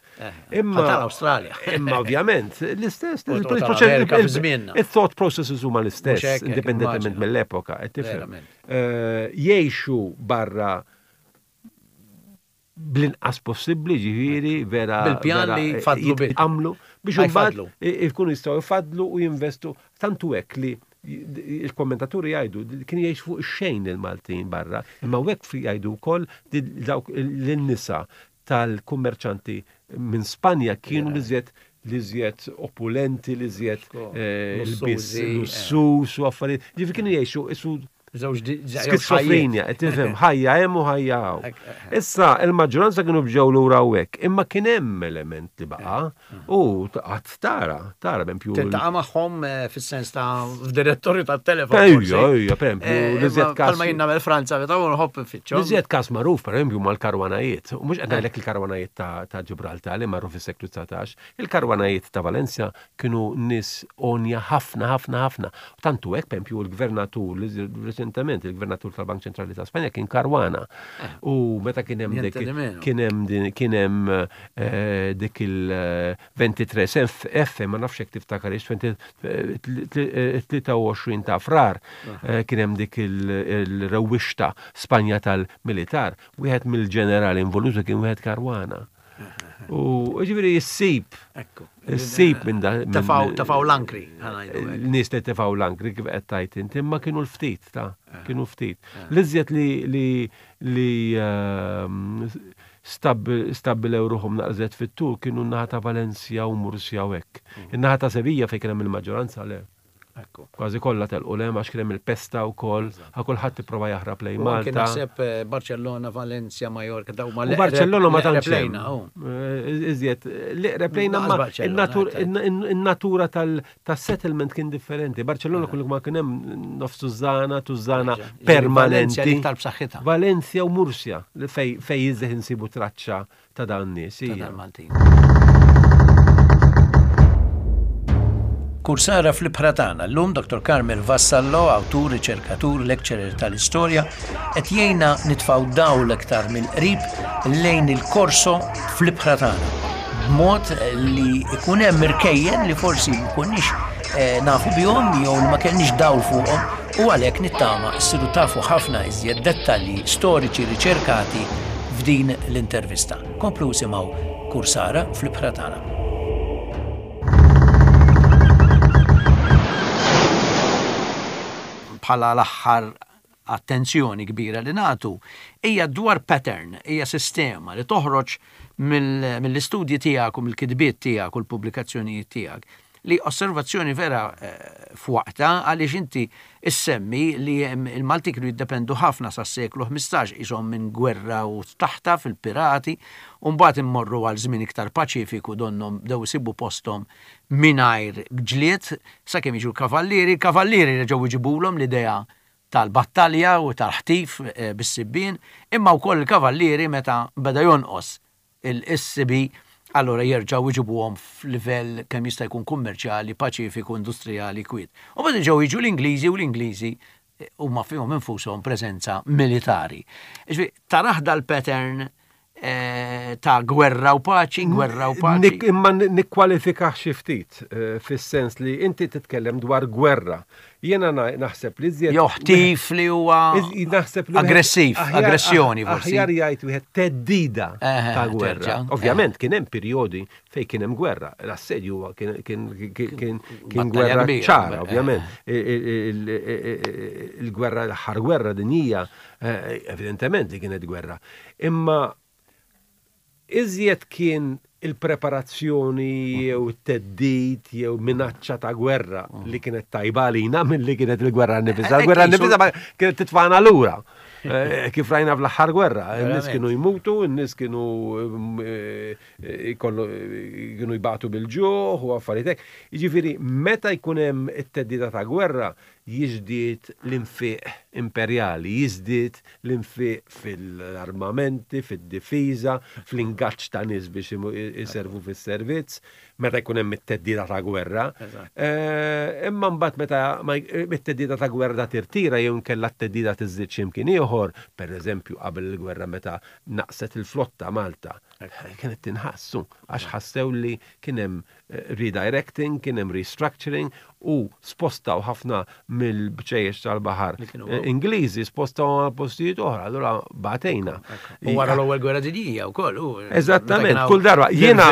Imma tal-Awstralja. Imma ovvjament, l-istess, il-thought processes huma l-istess, indipendentement mill-epoka, tifhem. Jgħixu barra bl-inqas possibbli, ġifieri, vera. Bil-pjan li jfadlu bil. Għamlu biex imbagħad ikunu jistgħu jfadlu u jinvestu tantu hekk li il-kommentaturi jgħidu kien jgħix fuq xejn il-Maltin barra, imma hekk jgħidu wkoll dawk l-nisa tal-kummerċanti minn Spanja kienu li żjed li żjed opulenti, li żjed il-bis lussus u affarijiet. Ġifieri kienu jgħixu isu skizofrenja, tifhem, ħajja hemm u ħajja hawn. Issa il-maġġoranza kienu bġew lura hawnhekk, imma kien hemm element li baqa' u qatt tara, tara b'empju. Tiltaqa' magħhom fis-sens ta' f'direttorju tat-telefon. Ejja, ejja, pereżempju, l-iżjed każ. Bħalma jien nagħmel Franza meta nħobb nfittxhom. L-iżjed każ magħruf pereżempju mal-karwanajiet, u mhux qed ngħidlek il-karwanajiet ta' Ġibraltar li marru fis-seklu dsatax, il-karwanajiet ta' Valencia kienu nies onja ħafna ħafna ħafna. Tantu hekk pereżempju l-gvernatur Reċentement il-Gvernatur tal-Bank Ċentrali ta' Spanja kien Caruana. Eh. U meta kien hemm dik kien hemm kien hemm eh, dik il-ventitré F, ma nafx hekk tiftakar tlieta u għoxrin ta' Frar, eh, kien hemm dik il-rewwixta Spanja tal-militar. Wieħed mill-ġenerali involuti kien wieħed Caruana. U ġifieri issib. Issib minn da. Tefgħu l-ankri. Nies li tefgħu l-ankri, kif qed tgħid inti, imma kienu l-ftit ta' kienu ftit. L-iżjed li li li ehm, stabbilew ruħhom naqżet fit-tul kienu n-naħa ta' Valencia u Murcia u hekk. Mm. In-naħa ta' Sevilla, fejn kien hemm il-maġġoranza, le. Kważi kollha telqu 'l hemm għax kien hemm il-pesta wkoll, ħa kulħadd ipprova jaħrab lejn Malta. Kien naħseb eh, Barcellona, Valencia, Mallorca, daw ma Barcellona ma tantx. Eh, iżjed, l-eqreb lejna, ma in-natura tal-settlement kien differenti. Barcellona kull ma kien hemm nofs tużana, tużana permanenti. Valencia u Murcia fej iżjed insibu traċċa ta' dan nies. Ta' Maltin. Kursara fl-ibħra tagħna. Llum Doctor Carmel Vassallo, awtur, riċerkatur, lecturer tal-istorja, qed jgħinna nitfgħu dawl aktar mill-qrib lejn il-korso fl-ibħra tagħna. B'mod li ikun hemm irkejjen li forsi mkunniex eh, nafu bihom jew li ma kellniex dawl fuqhom, u għalhekk nittama ssiru tafu ħafna iżjed dettalji storiċi riċerkati f'din l-intervista. Komplu isimgħu Kursara fl-ibħra tagħna. Bħala l-aħħar attenzjoni kbira li nagħtu hija dwar pattern, hija sistema li toħroġ mill-istudji tiegħek u mill-kitbiet tiegħek u l-pubblikazzjonijiet tiegħek, li osservazzjoni vera eh, f'waqta, għaliex inti issemmi li il-Malti kienu jiddependu ħafna sa' seklu ħmistax ishom minn gwerra u taħta fil-pirati, u mbagħad immorru għal żmien iktar paċifiku, donnom bdew isibu posthom mingħajr ġlied sakemm jiġu l-kavallieri, il-kavallieri reġgħu jġibulhom l-idea tal-battalja u tal-ħtif eh, bis-sibbien, imma wkoll il-kavallieri, meta beda jonqos il-sibi, allora jerġgħu jġibuhom f'livell kemm jista' jkun kummerċjali, paċifiku, industrijali, kwiet. U bada ġew jiġu l-Ingliżi, u l-Ingliżi eh, huma fihom infushom preżenza militari. Tarah dal-pattern eh, ta' gwerra u paċi, gwerra u paċi. Imma nikkwalifika xi ftit eh, fis-sens li inti titkellem dwar gwerra. Jiena naħseb li żjed. Jew ħtif li huwa naħseb li aggressiv, aggressjoni forsi. Aħjar jgħid wieħed theddida ta' gwerra. Ovvjament kien hemm perjodi fejn kien hemm gwerra. L-assedju kien kien gwerra ċara, ovvjament. Il-gwerra, l-aħħar gwerra dinjija, eh, evidentement li kienet gwerra. Imma iżjed kien il-preparazzjoni jew it-theddid jew minaċċa ta' gwerra li kienet tajba għalina milli kienet il-gwerra nifisha. Il-gwerra nifisha kienet titfagħna lura. Eh, kif rajna fl-aħħar gwerra, n-nies kienu jmutu, n-nies kienu eh, kienu jbatu bil-ġuħ u affarijiet hekk. Jiġifieri meta jkun hemm it-theddida ta' gwerra, jiżdied l-infiq imperjali, jiżdied l-infiq fil-armamenti, fid-difiża, fl-ingaġġ ta' nies biex iservu fis-servizz, meta jkun hemm it-theddida ta' gwerra. Eh, imma mbagħad meta it-theddida ta' gwerra tirtira jew inkella t-theddida tiżdied x'imkien ieħor, pereżempju qabel il-gwerra meta naqset il-flotta Malta, kienet tinħassu għax ħassew li kien hemm eh, redirecting, kien hemm restructuring u spostaw ħafna mill-bċejjex tal-baħar eh, Ingliżi, spostaw għal postijiet oħra, allura batejna. U wara l-ewwel gwerra dinjija wkoll. Eżattament, kull darba. Jiena,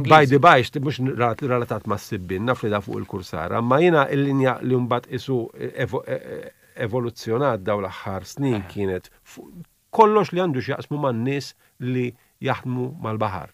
by the by, mhux relatat ma' sibbin, naf li da fuq il-kursara, ma jiena il-linja li mbagħad isu evoluzzjonat daw l-aħħar snin eh. kienet kollox li għandu x'jaqsmu man-nies li jaħdmu mal-baħar.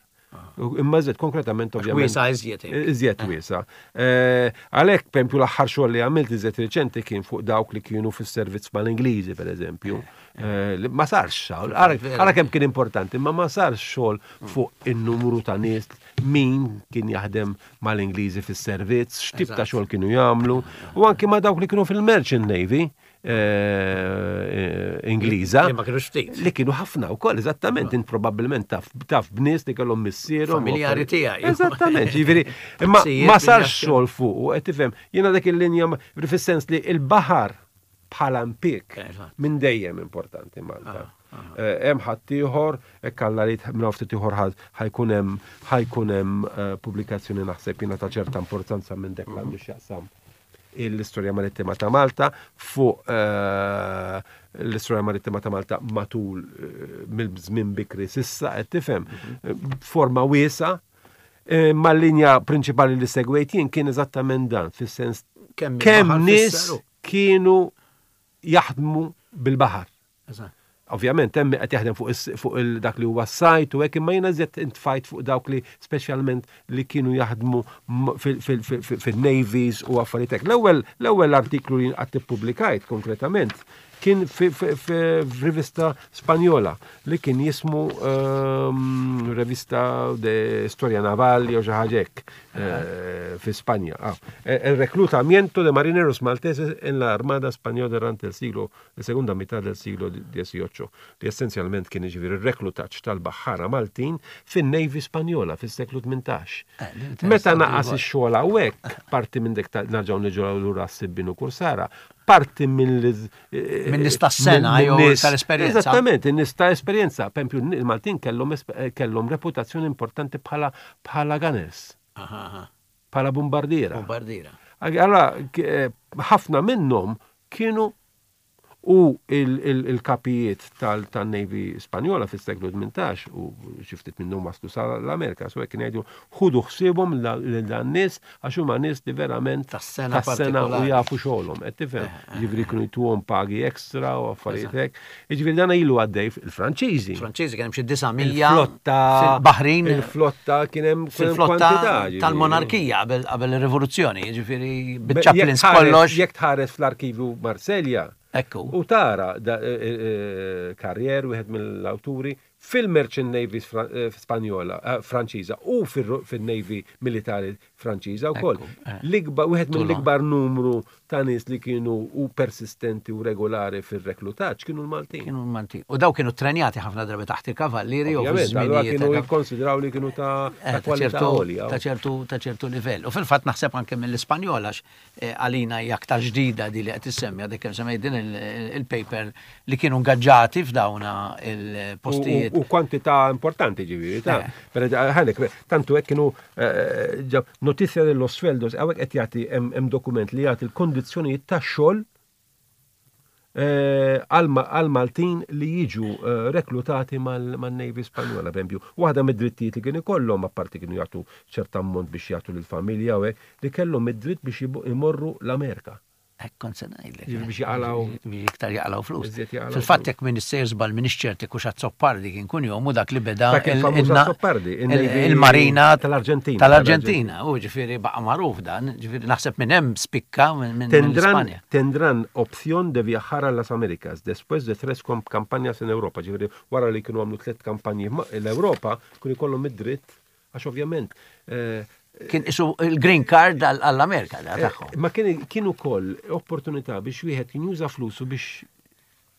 Imma iżjed konkretament, ovvjament. Wiesa iżjed. Iżjed wiesa. Eh, għalhekk, pereżempju, l-aħħar xogħol li għamilt iżjed riċenti kien fuq dawk li kienu fis-servizz mal-Ingliżi, pereżempju. Eh, ma sarx xogħol, ara kemm kien importanti, ma ma sarx xogħol fuq in-numru ta' nies, min kien jaħdem mal-Ingliżi fis-servizz, x'tip ta' xogħol kienu jagħmlu, u anki ma' dawk li kienu fil-Merchant Navy eh, Ingliża. Li ma kienu ftit. Li kienu ħafna wkoll, eżattament, int probabbilment taf taf b'nies li kellhom missierhom. Familjari tiegħi. Eżattament, ġifieri, imma ma sarx xogħol fuq, u qed tifhem, jiena dak il-linja, fis-sens li il-baħar bħala impjieg minn dejjem importanti Malta. Eh, hemm ħaddieħor, hekk Alla li minn ftit ieħor ħa jkun hemm ħa jkun hemm eh, pubblikazzjoni, naħseb jiena, ta' ċerta importanza minn dak għandu x'jaqsam l-istorja marittima ta' Malta, fuq eh, l-istorja marittima ta' Malta matul mill-żmien bikri s'issa, qed tifhem, forma wiesa', ma l-linja prinċipali li segwejt jien kien eżattament dan, fis-sens kemm nies kienu jaħdmu bil-baħar. Ovvjament, hemm qed jaħdem fuq dak li huwa s-sajt u hekk, imma jiena żjed intfajt fuq dawk li speċjalment li kienu jaħdmu fil-navies u affarijiet hekk. L-ewwel l-ewwel artiklu li qatt ippubblikajt konkretament kien f'rivista Spanjola li kien jismu ehm, Revista de Historia Naval jew xi ħaġa hekk eh, fi Spanja. Ah, el reclutamiento de marineros malteses en la Armada Española durante el siglo, la segunda mitad del siglo dieciocho, li essenzjalment kien, jiġifieri, ir-reklutaġġ tal-baħħara Maltin fin-Navy Spanjola fis-seklu tmintax. Eh, Meta naqas ix-xogħol hawnhekk, parti minn dik nerġgħu niġu lura s-sibbin u kursara, parti minn Minn nies tas-sena jew tal-esperjenza. Eżattament, in-nies ta' esperjenza. Per esempio, il-Maltin kellhom kellhom reputazzjoni importanti bħala bħala gunners. Bħala bombardiera. Bombardiera. Allora, eh, ħafna minnhom kienu u il-kapijiet tal-Navy Spanjola fis-seklu tmintax u xi ftit minnhom waslu sa l-Amerika, so kien jgħidu ħudu ħsiebhom lil dan nies għax huma nies li verament tas-sena u jafu xogħolhom, qed tifhem. Eh, eh, Jiġifieri kienu jtuhom pagi ekstra u affarijiet hekk. Jiġifieri dan ilu għaddej, il-Franċiżi. Franċiżi kien hemm xi disa' mija Il-flotta Baħrin. Il-flotta kien hemm fil-flotta tal-monarkija qabel ir-rivoluzzjoni, jiġifieri biċ-chaplains kollox. Jekk tħares fl-arkivju Marselja, Ekku. U tara e, e, e, Carrier, wieħed mill-awturi, fil-Merchant Navy Spanjola, Franċiża u fil-Navy Militari Franċiża wkoll. L-ikbar, wieħed mill-ikbar numru ta' nies li kienu u persistenti u regolari fil-reklutaġġ kienu l-Maltin. Kienu l-Maltin. U daw kienu trenjati ħafna drabi taħt il-kavallieri u kienu jikkonsidraw li kienu ta' kwalità għolja. Ta' ċertu ta' ċertu livell. U fil-fatt naħseb anke mill-Ispanjola, għalina hija aktar ġdida di li qed issemmi, għadek kemm semmejt din il-paper, li kienu ngaġġati f'dawna il-postijiet. U kwantità importanti, ġifieri, ta' ħalek, tantu hekk kienu noticia de los sueldos, hawnhekk qed jagħti, hemm dokument li jagħti l-kondizzjonijiet ta' xogħol għal-Maltin li jiġu reklutati mal-Navy Spanjola, per esempio. Waħda mid-drittijiet li kien ikollhom, apparti kienu jagħtu ċert ammont biex jagħtu lill-familja u hekk, li kellhom id-dritt biex imorru l-Amerika. Hekk kont se ngħidlek. Biex jaqalaw. Biex iktar jaqalaw flus. Fil-fatt, jekk minn sejr żball, minn ċerti kux Azzopardi kien kun jomu dak li beda il-marina tal-Arġentina. Tal-Arġentina, u ġifieri baqa' magħruf dan, ġifieri naħseb minn hemm spikka minn Spanja. Tendrán opción de viajar a las Américas después de tres campañas en Europa. Ġifieri wara li kienu għamlu tliet kampanji l-Europa, kienu jkollhom id-dritt, għax ovvjament eh, Kien isu il-green card għall-Amerika da eh, tagħhom. Ma kien kien ukoll opportunità biex wieħed kien juża flusu biex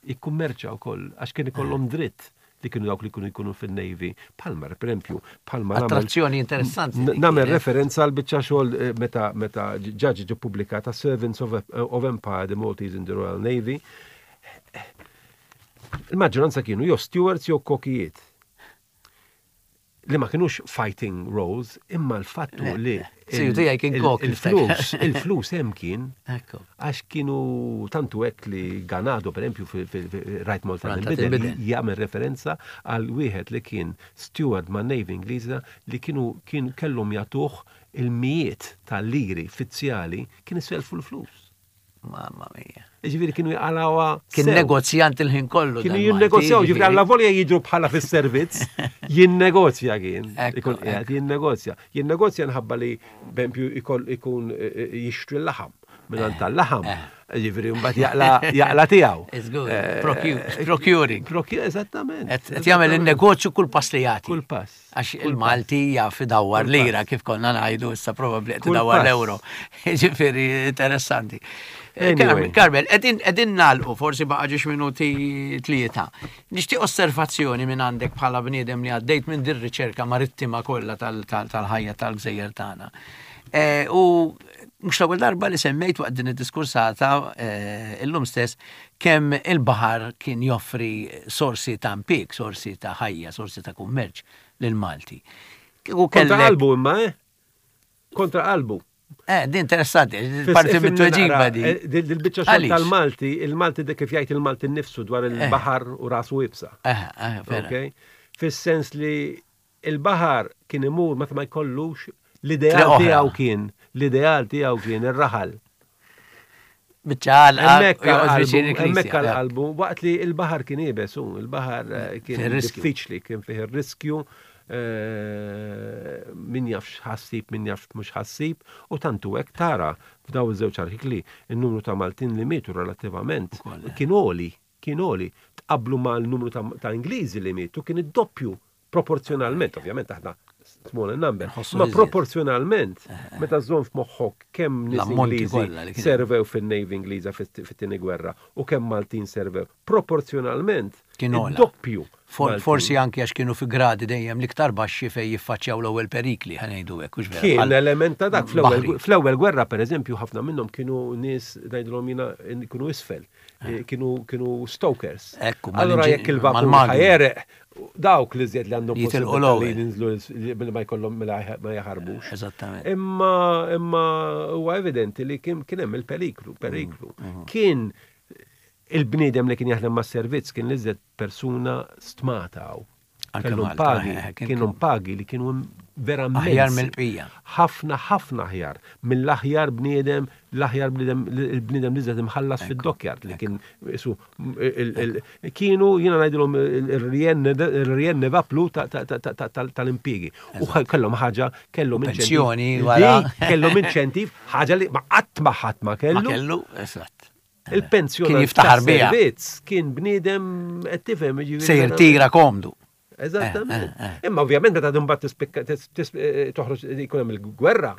jikkummerċa wkoll, għax kien ikollhom dritt li kienu dawk li kienu jkunu fil-Navy. Palma, per esempio, Palma. Attrazzjoni interessanti. Nagħmel referenza għal biċċa xogħol eh, meta meta ġaġi ġi pubblikata Servants of, of Empire, the Maltese in the Royal Navy. Il-maġġoranza kienu jew stewards jew kokijiet li ma kienux fighting roles, imma l-fattu li il-flus, il-flus hemm kien, għax kienu tantu hekk li Ganado, per esempio, fil-Rajt Malta Bidel, jagħmel referenza għal wieħed li kien steward ma' Navy Ingliża li kienu kien kellhom jagħtuh il-mijiet tal-liri fizzjali, kien iselfu l-flus. Mamma mia. Ġifieri kienu jaqalawha. Kien negozjant il-ħin kollu. Kienu jinnegozjaw, ġifieri għalla volja jidru bħala fis-servizz, jinnegozja kien. Ikun qiegħed jinnegozja. Jinnegozja nħabba li bempju ikun e, e, jixtri l-laħam. Minn tal-laħam. Eh. Ġifieri mbagħad jaqla tiegħu. It's good. Eh, procuring. Procure, eżattament. Qed jagħmel in-negozju kull pass li jagħti. Kull pass. Għax il-Malti jaf idawwar lira, kif konna ngħidu, issa probabbli qed idawwar l-euro. Ġifieri interessanti. Eh, Carmel, qegħdin nagħlqu, forsi baqa' ġiex minuti, tlieta. Nixtieq osservazzjoni minn għandek bħala bniedem li għaddejt minn dir riċerka marittima kollha tal-ħajja tal-gżejjer tagħna. Eh, u Mhux l-ewwel darba li semmejt waqt din id-diskursata eh, illum stess kemm il-baħar kien joffri sorsi ta' impjieg, sorsi ta' ħajja, sorsi ta' kummerċ lil Malti. Kieku Kontra kellek. qalbu imma, eh? Kontra qalbu. Eh, di interessanti, parti mit-tweġiba di. eh, Dil-biċċa xogħol Għaliex? tal-Malti, il-Malti de kif jgħid il-Malti nnifsu dwar il-baħar u rasu iebsa. Eh, eh, vera. Ok? Fis-sens li il-baħar kien imur meta ma jkollux Triq l-ideal oħra. tiegħu kien, l-ideal tiegħu kien ir-raħal. Biċċa għalqa, Hemmhekk u joqgħod viċin għal-qalbu, hemmhekk il-knisja. għal-qalbu, waqt li il-baħar kien iebes, hu, il-baħar eh, kien Fih ir-riskju. diffiċli, kien fih ir-riskju, eh, min jaf x'ħassib, min jaf mhux ħassib, u tantu hekk tara f'daw iż-żewġ artikli in-numru ta' Maltin li mietu relattivament Ukoll, eh. kien għoli, kien għoli. Tqablu ma' l-numru ta' ta' Ingliżi li mietu kien id-doppju proporzjonalment, ovvjament aħna small in number, Nħossu ma iżjed. proporzjonalment, meta żżomm f'moħħok kemm nies L-ammonti Ingliżi kollha li kien hemm. servew fin-Navy Ingliża fit-tieni gwerra u kemm Maltin servew proporzjonalment Kien ogħla. id-doppju. For, Maltin. forsi anki għax kienu fi gradi dejjem l-iktar baxxi fej jiffaċċjaw l-ewwel perikli, ħa ngħidu hekk, hux vera. Kien Bħal- element ta' dak. Fl-ewwel Baħri. fl-ewwel gwerra, per eżempju, ħafna minnhom kienu nies ngħidulhom jiena kienu isfel, eh, kienu kienu stokers. Ekku, Allura mal-inġi- jekk il-vapur mal-magni. ħa jegħreq, dawk li żjed li għandhom Jitilqu possibilità li l-ewwel. jinżlu billi ma jkollhom mela ma jaħarbux. Eżattament. Imma imma huwa evidenti li kien kien hemm il-periklu, periklu. Mm, Kien il-bniedem li kien jaħdem mas-servizz kien l-iżjed persuna stmata hawn. Anke Kellhom Malta, pagi, eh, kien- kienu pagi li kienu verament. Aħjar mill-bqija. Ħafna, ħafna aħjar. Mill-aħjar bniedem, l-aħjar bniedem, il-bniedem li żed imħallas fid-dockyard li kien isu il- il- kienu jiena ngħidilhom il-rien il-rien ne va plus ta- ta- ta- ta- ta- tal-impjiegi. U kellhom ħaġa, kellhom inċentiv. Pensjoni wara. Di, Kellhom inċentiv, ħaġa li ma qatt ma ħadd ma Ma kellu. kellu, eżatt. Il-pensjoni Kien jiftaħar biha. tas-servizz kien bniedem qed tifhem jiġifieri Se jirtira komdu. Eżattament. Eh, eh, Imma ovvjament meta mbagħad tispikka tis- tis- eh, toħroġ jkun hemm il-gwerra.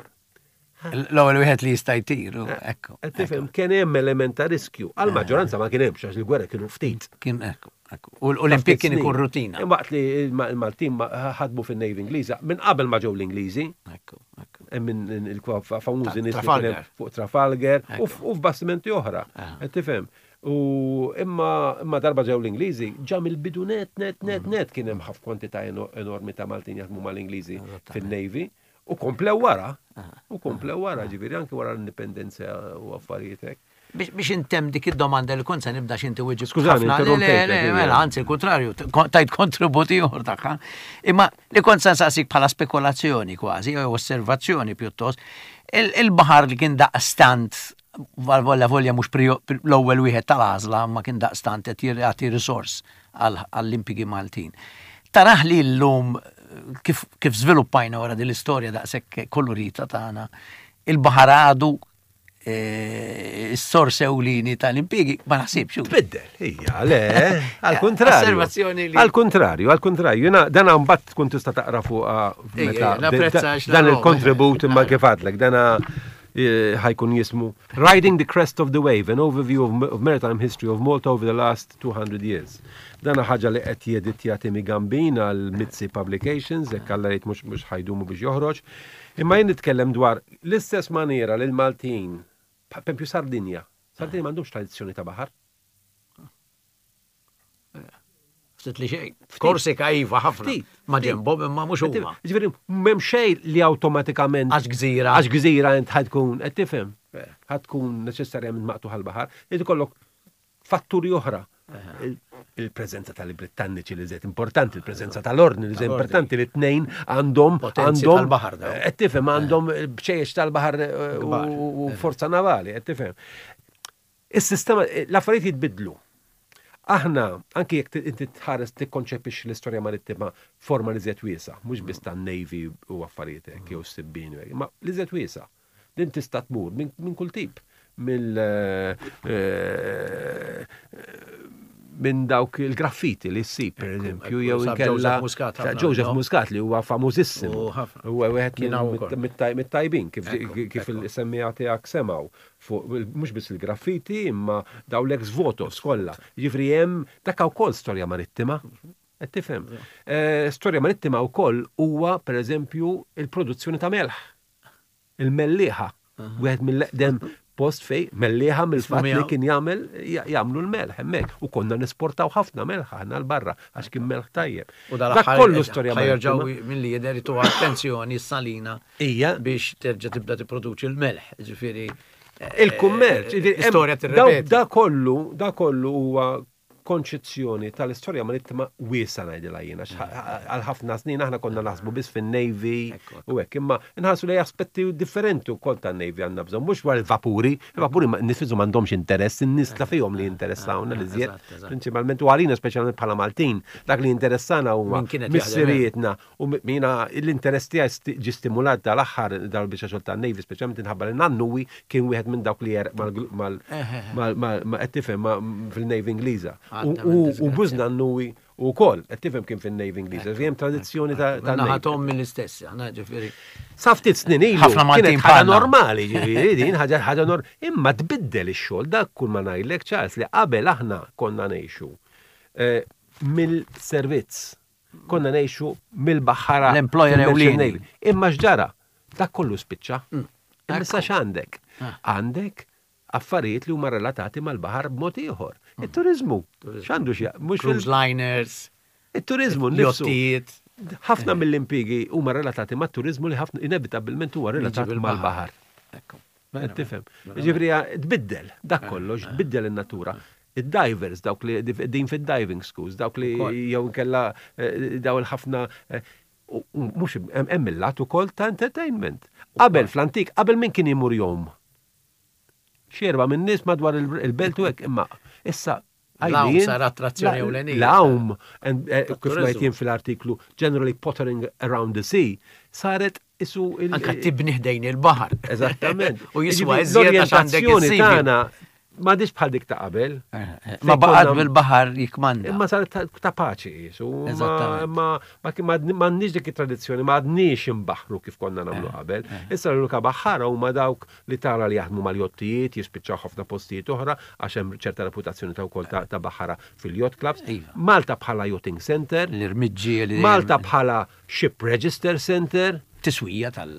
L-ewwel wieħed li jista' jtir, u ekku. Qed tifhem kien hemm element ta' riskju. Għal-maġġoranza ma kien hemmx għax il-gwerra kienu ftit. Kien ekku, ekku. U l-Olimpik kien ikun rutina. Waqt li il-Maltin ma- ħadmu fin-Navy Ingliża minn qabel ma ġew l-Ingliżi, Ekku, ekku. hemm minn il-famużi Ta- nies li kien hemm Trafalgar. fuq Trafalgar u Ekku. f- u f'bastimenti oħra. Aha. Qed tifhem. U imma imma darba ġew l-Ingliżi, ġa mill-bidu net net net Mm. net kien hemm ħafna kwantità eno- enormi ta' Maltin jaħdmu mal-Ingliżi Eżattament. fin-Navy u komplew wara. U komplew wara, ġifieri anke wara l-indipendenza u affarijiet hekk. Biex biex intem dik id-domanda li kont se nibda x'inti wieġib. Skużani, ħafna. Le, le, interrompejtek, le, ija. mela, anzi, il-kontrarju, t- kon- tajt kontributi ieħor tagħha. Imma li kont se nsaqsik bħala spekulazzjoni kważi, jew osservazzjoni pjuttost, il- il-baħar li kien daqstant volja volja mhux prio- l-ewwel wieħed tal-għażla, ma kien daqstant qed jagħti risors għall- għall-impjiegi Maltin. Taraħ li llum kif, kif żviluppajna wara din l-istorja daqshekk kolorita tagħna, il-baħar għadu eh, s-sors ewlieni tal-impjiegi, ma naħsibx. Tbiddel, hija, le, għal kontrarju. Osservazzjoni li- Għal kontrarju, għal kontrarju. Jena, dan mbagħad tkun tista' taqra fuq Ejja, meta napprezza da- għax dan naraw. il-kontribut imma kif għadlek, dana eh, ħajkun jismu Riding the Crest of the Wave, an overview of, of maritime history of Malta over the last two hundred years. Dana ħaġa li qed jeditja Timmy Gambin għal Mizzi Publications, jekk Alla jrid mhux mhux ħa jdumu biex joħroġ. Imma jien nitkellem dwar l-istess maniera li l-Maltin, per esempio Sardinja, Sardinja m'għandhomx tradizzjoni ta' baħar. Ftit li xejn. Korsika iva ħafna. Ftit, Ma ftit. ġenbhom imma mhux huma. Ġifieri m'hemm xejn li awtomatikament Għax gżira. Għax gżira int ħa tkun qed tifhem. Ħa tkun neċessarjament maqtugħ għall-baħar, irid ikollok fatturi oħra. Il- Il-preżenza tal-Britanniċi li żed importanti, il-preżenza tal-Ordni li żed Tal-Ordni. importanti li tnejn għandhom Potenzi għandhom tal-baħar dawn. Qed tifhem għandhom bċejjex tal-baħar eh, u- Kbar. u forza navali, qed tifhem. Is-sistema, l-affarijiet jitbidlu. Aħna, anki jekk inti tħares tikkonċepix l-istorja marittima forma li żed wiesa, mhux biss tan-Navy u affarijiet hekk jew s-sibbin, ma li żed wiesa. Din tista' tmur minn min kull tip. Mill eh, eh, minn dawk il-graffiti li ssib, per eżempju, jew sab inkella Joseph Muscat ħafna, Joseph no? Muscat li huwa famużissimu. U ħafna. Huwa wieħed Kien hawn ukoll. mit-tajbin kif Ekku, kif ekku. il-semmiegħa tiegħek semgħu fuq mhux biss il-graffiti imma daw l-ex votos kollha. Jiġifieri hemm dak wkoll storja marittima. Qed tifhem. Eh, Storja marittima wkoll huwa pereżempju il-produzzjoni ta' melħ. Il-mellieħa. Wieħed mill-eqdem post fej Mellieħa mill-fatt li kien jagħmel jagħmlu l-melħ hemmhekk u konna nesportaw ħafna melħ aħna 'l barra għax kien melħ tajjeb. U dak kollu storja jerġgħu milli jidher itu attenzjoni s-salina Ija biex terġa' tibda tipproduċi l-melħ, ġifieri il-kummerċ, istorja tirrepeti. Da kollu, da kollu huwa konċezzjoni tal-istorja marittima wiesa ngħidilha jiena għal ħafna snin aħna konna naħsbu biss fin-Navy u hekk, imma nħarsu lejn aspetti differenti wkoll tan-Navy għandna bżonn, mhux dwar il-vapuri, il-vapuri nifiżu m'għandhomx interess, in-nies ta' fihom li jinteressawna li żjed, prinċipalment u għalina speċjalment bħala Maltin, dak li jinteressana huwa missirietna u mina l-interess tiegħi ġie stimulat dal-aħħar dal-biċċa xogħol tan-Navy speċjalment inħabba li nannuwi kien wieħed minn dawk li jerq mal qed tifhem fil-Navy Ingliża. U bużnannuwi u kol, qed tifhem kien fin-Navy Ingliża, hemm tradizzjoni ta' Naħatom mill-istess, aħna ġifieri. Sa ftit snin ilu Ħafna Maltin kienet ħaġa bħalna. normali, ġifieri din ħaġa ħaġa nor imma tbiddel ix-xogħol dak kull ma ngħidlek Charles li qabel aħna konna ngħixu eh, mill-servizz. Konna ngħixu mill-baħħara. L-employer fil-Merchant ewlieni. Navy. Imma x'ġara? Dak kollu spiċċa. Mm. Imma issa x'għandek? Għandek affarijiet li huma relatati mal-baħar b'mod ieħor. It-turizmu. X'għandu xi mhux Cruise liners, it-turizmu nnifsu. jottijiet. Ħafna mill-impjiegi huma relatati mat-turizmu li ħafna inevitabilment huwa relatat bil-baħar. mal-baħar. Ekku. Qed Tifhem. Ġifieri tbiddel dak kollox, tbiddel in-natura. Id-divers, dawk li din fid-diving schools, dawk li Ukoll. jew inkella eh, daw il-ħafna eh, u- u mhux hemm hemm il-lat ukoll ta' entertainment. Qabel fl-antik, qabel min kien imur jom? Xi erba' minn nies madwar il- il-belt u hekk, imma issa L-għawm għajlin- sar attrazzjoni La- ewlenija. L-għawm, and, eh, kif Tat-turizmu. ngħid jien fil-artiklu, generally pottering around the sea, saret isu il- Anka tibni ħdejn il-baħar. Eżattament. U jiswa Jiġifieri iżjed għax għandek L-orjentazzjoni is-sea view. tagħna m'għadix bħal dik ta' qabel. Ma baqgħet bil-baħar jikmanda. Imma saret ta' ta' paċi jisu. Ma Eżattament. ma ma kien- ma m'għandniex dik it-tradizzjoni, ma għadniex imbaħru kif konna nagħmlu qabel. Issa l-unika baħħara huma dawk li tara li jaħdmu mal-jottijiet, jispiċċaw ħafna postijiet oħra għax hemm ċerta reputazzjoni ta' wkoll ta' ta' baħħara fil-yacht clubs. Iva. Malta bħala yachting center, L-irmiġġi li Malta bħala ship register center, tiswija tal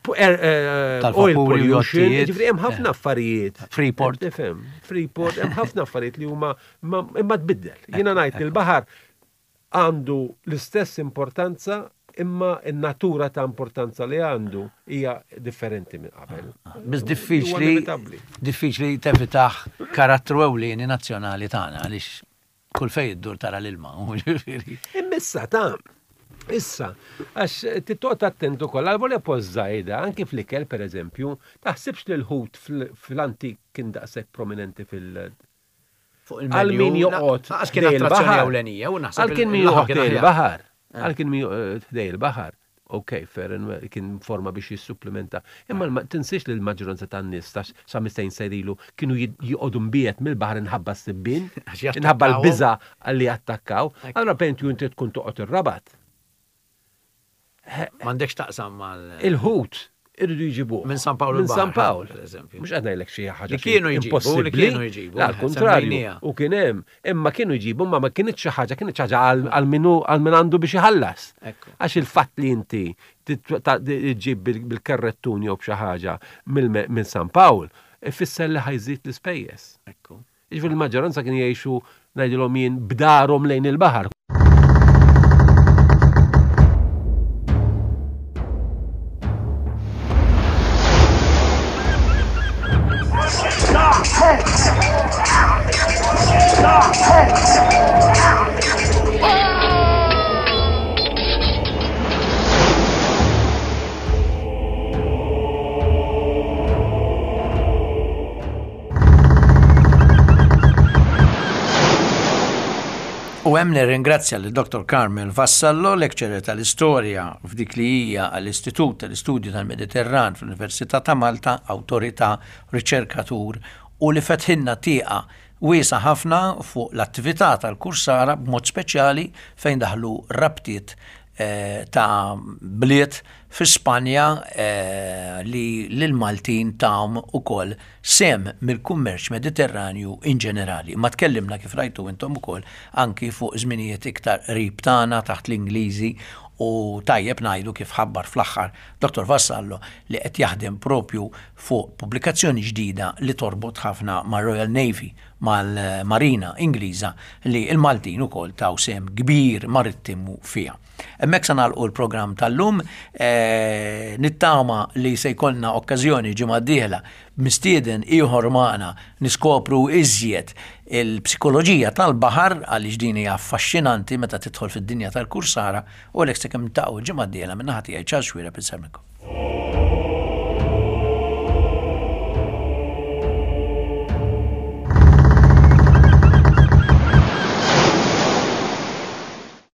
pu- er, eh, Tal-vapuri oil u pollution, jottijiet. ġifieri hemm ħafna affarijiet. Freeport. Tifhem, Freeport, hemm ħafna affarijiet li huma ma- imma tbiddel. Jiena ngħid li l-baħar għandu l-istess importanza imma n-natura ta' importanza li għandu hija differenti minn qabel. Biz Huwa diffiċli inevitabbli. diffiċli tevitaħ karattru ewlieni nazzjonali tagħna għaliex kull fejn iddur tara l-ilma. ġifieri. Immissa ta' issa, għax tittoqgħod attent ukoll għal volja post żgħida, anki fl-ikel pereżempju, taħsibx li l-ħut fl- fl-antik kien daqshekk prominenti fil- Fuq Għal min joqgħod Għax kien ħdej attrazzjoni il-baħar. ewlenija u naħseb Għal kien min il-laħam joqgħod kien ħdej aħjar. il-baħar. Għal kien min joqgħod ħdej il-baħar. Ok, fair and well, kien forma biex jissupplementa. Imma l- tinsiex li l-maġġoranza tan-nies ta' sa mistejn sejrilu kienu jid- joqogħdu mbiet mill-baħar inħabba s-sibbien, Għax jattakkaw. inħabba l-biża li jattakkaw. Ekku. Allora pentu inti tkun toqgħod ir-Rabat. M'għandekx taqsam mal Il-ħut irridu jġibuh. Minn San Pawl Minn il-Baħar, San Pawl. per eżempju. Mhux qed ngħidlek xi ħaġa Li xi kienu jġibu, li impossibbli. kienu jġibu, La, al-kontrarju. semmejnija. U kien hemm, imma kienu jġibu, ma ma kienx xi ħaġa, kienet xi ħaġa għal- għal minu għal min għandu biex iħallas. Ekku. Għax il-fatt li inti tit- ta- ġib bil- bil-karrettun jew b'xi ħaġa mill- minn San Pawl, ifisser li ħajżid l-ispejjeż. Ekku. Jiġifieri l-maġġoranza kien jgħixu ngħidilhom jien b'darhom lejn il-baħar. U hemm nirringrazzja lil Dottor Carmel Vassallo, lecturer tal-istorja f'dik li hija għall-Istitut tal-Istudju tal-Mediterran fl-Università ta' Malta, awtorità, riċerkatur u li fetħinna tieqa wiesa ħafna fuq l-attività tal-kursara b'mod speċjali fejn daħlu rabtiet eh, ta' bliet fi Spanja eh, li l-Maltin tawm ukoll sem mill-kummerċ mediterranju in ġenerali. Ma tkellimna kif rajtu intom ukoll anki fuq żminijiet iktar qrib tagħna taħt l-Ingliżi U tajjeb ngħidu, kif ħabbar fl-aħħar Dottor Vassallo, li qed jaħdem propju fuq pubblikazzjoni ġdida li torbot ħafna ma' Royal Navy, mal-Marina Ingliża, li il-Maltin ukoll taw sehem kbir marittimu fiha. Hemmhekk se nagħlqu l-programm tal-lum, eh, nittama li se jkollna okkażjoni ġimgħa d-dieħla mistieden ieħor magħna niskopru iżjed il-psikoloġija tal-baħar, għaliex din hija affaxxinanti meta tidħol fid-dinja tal-kursara, u għalhekk sakemm niltaqgħu ġimgħa d-dieħla, minn naħa tiegħi Charles Xuereb insellmilkom.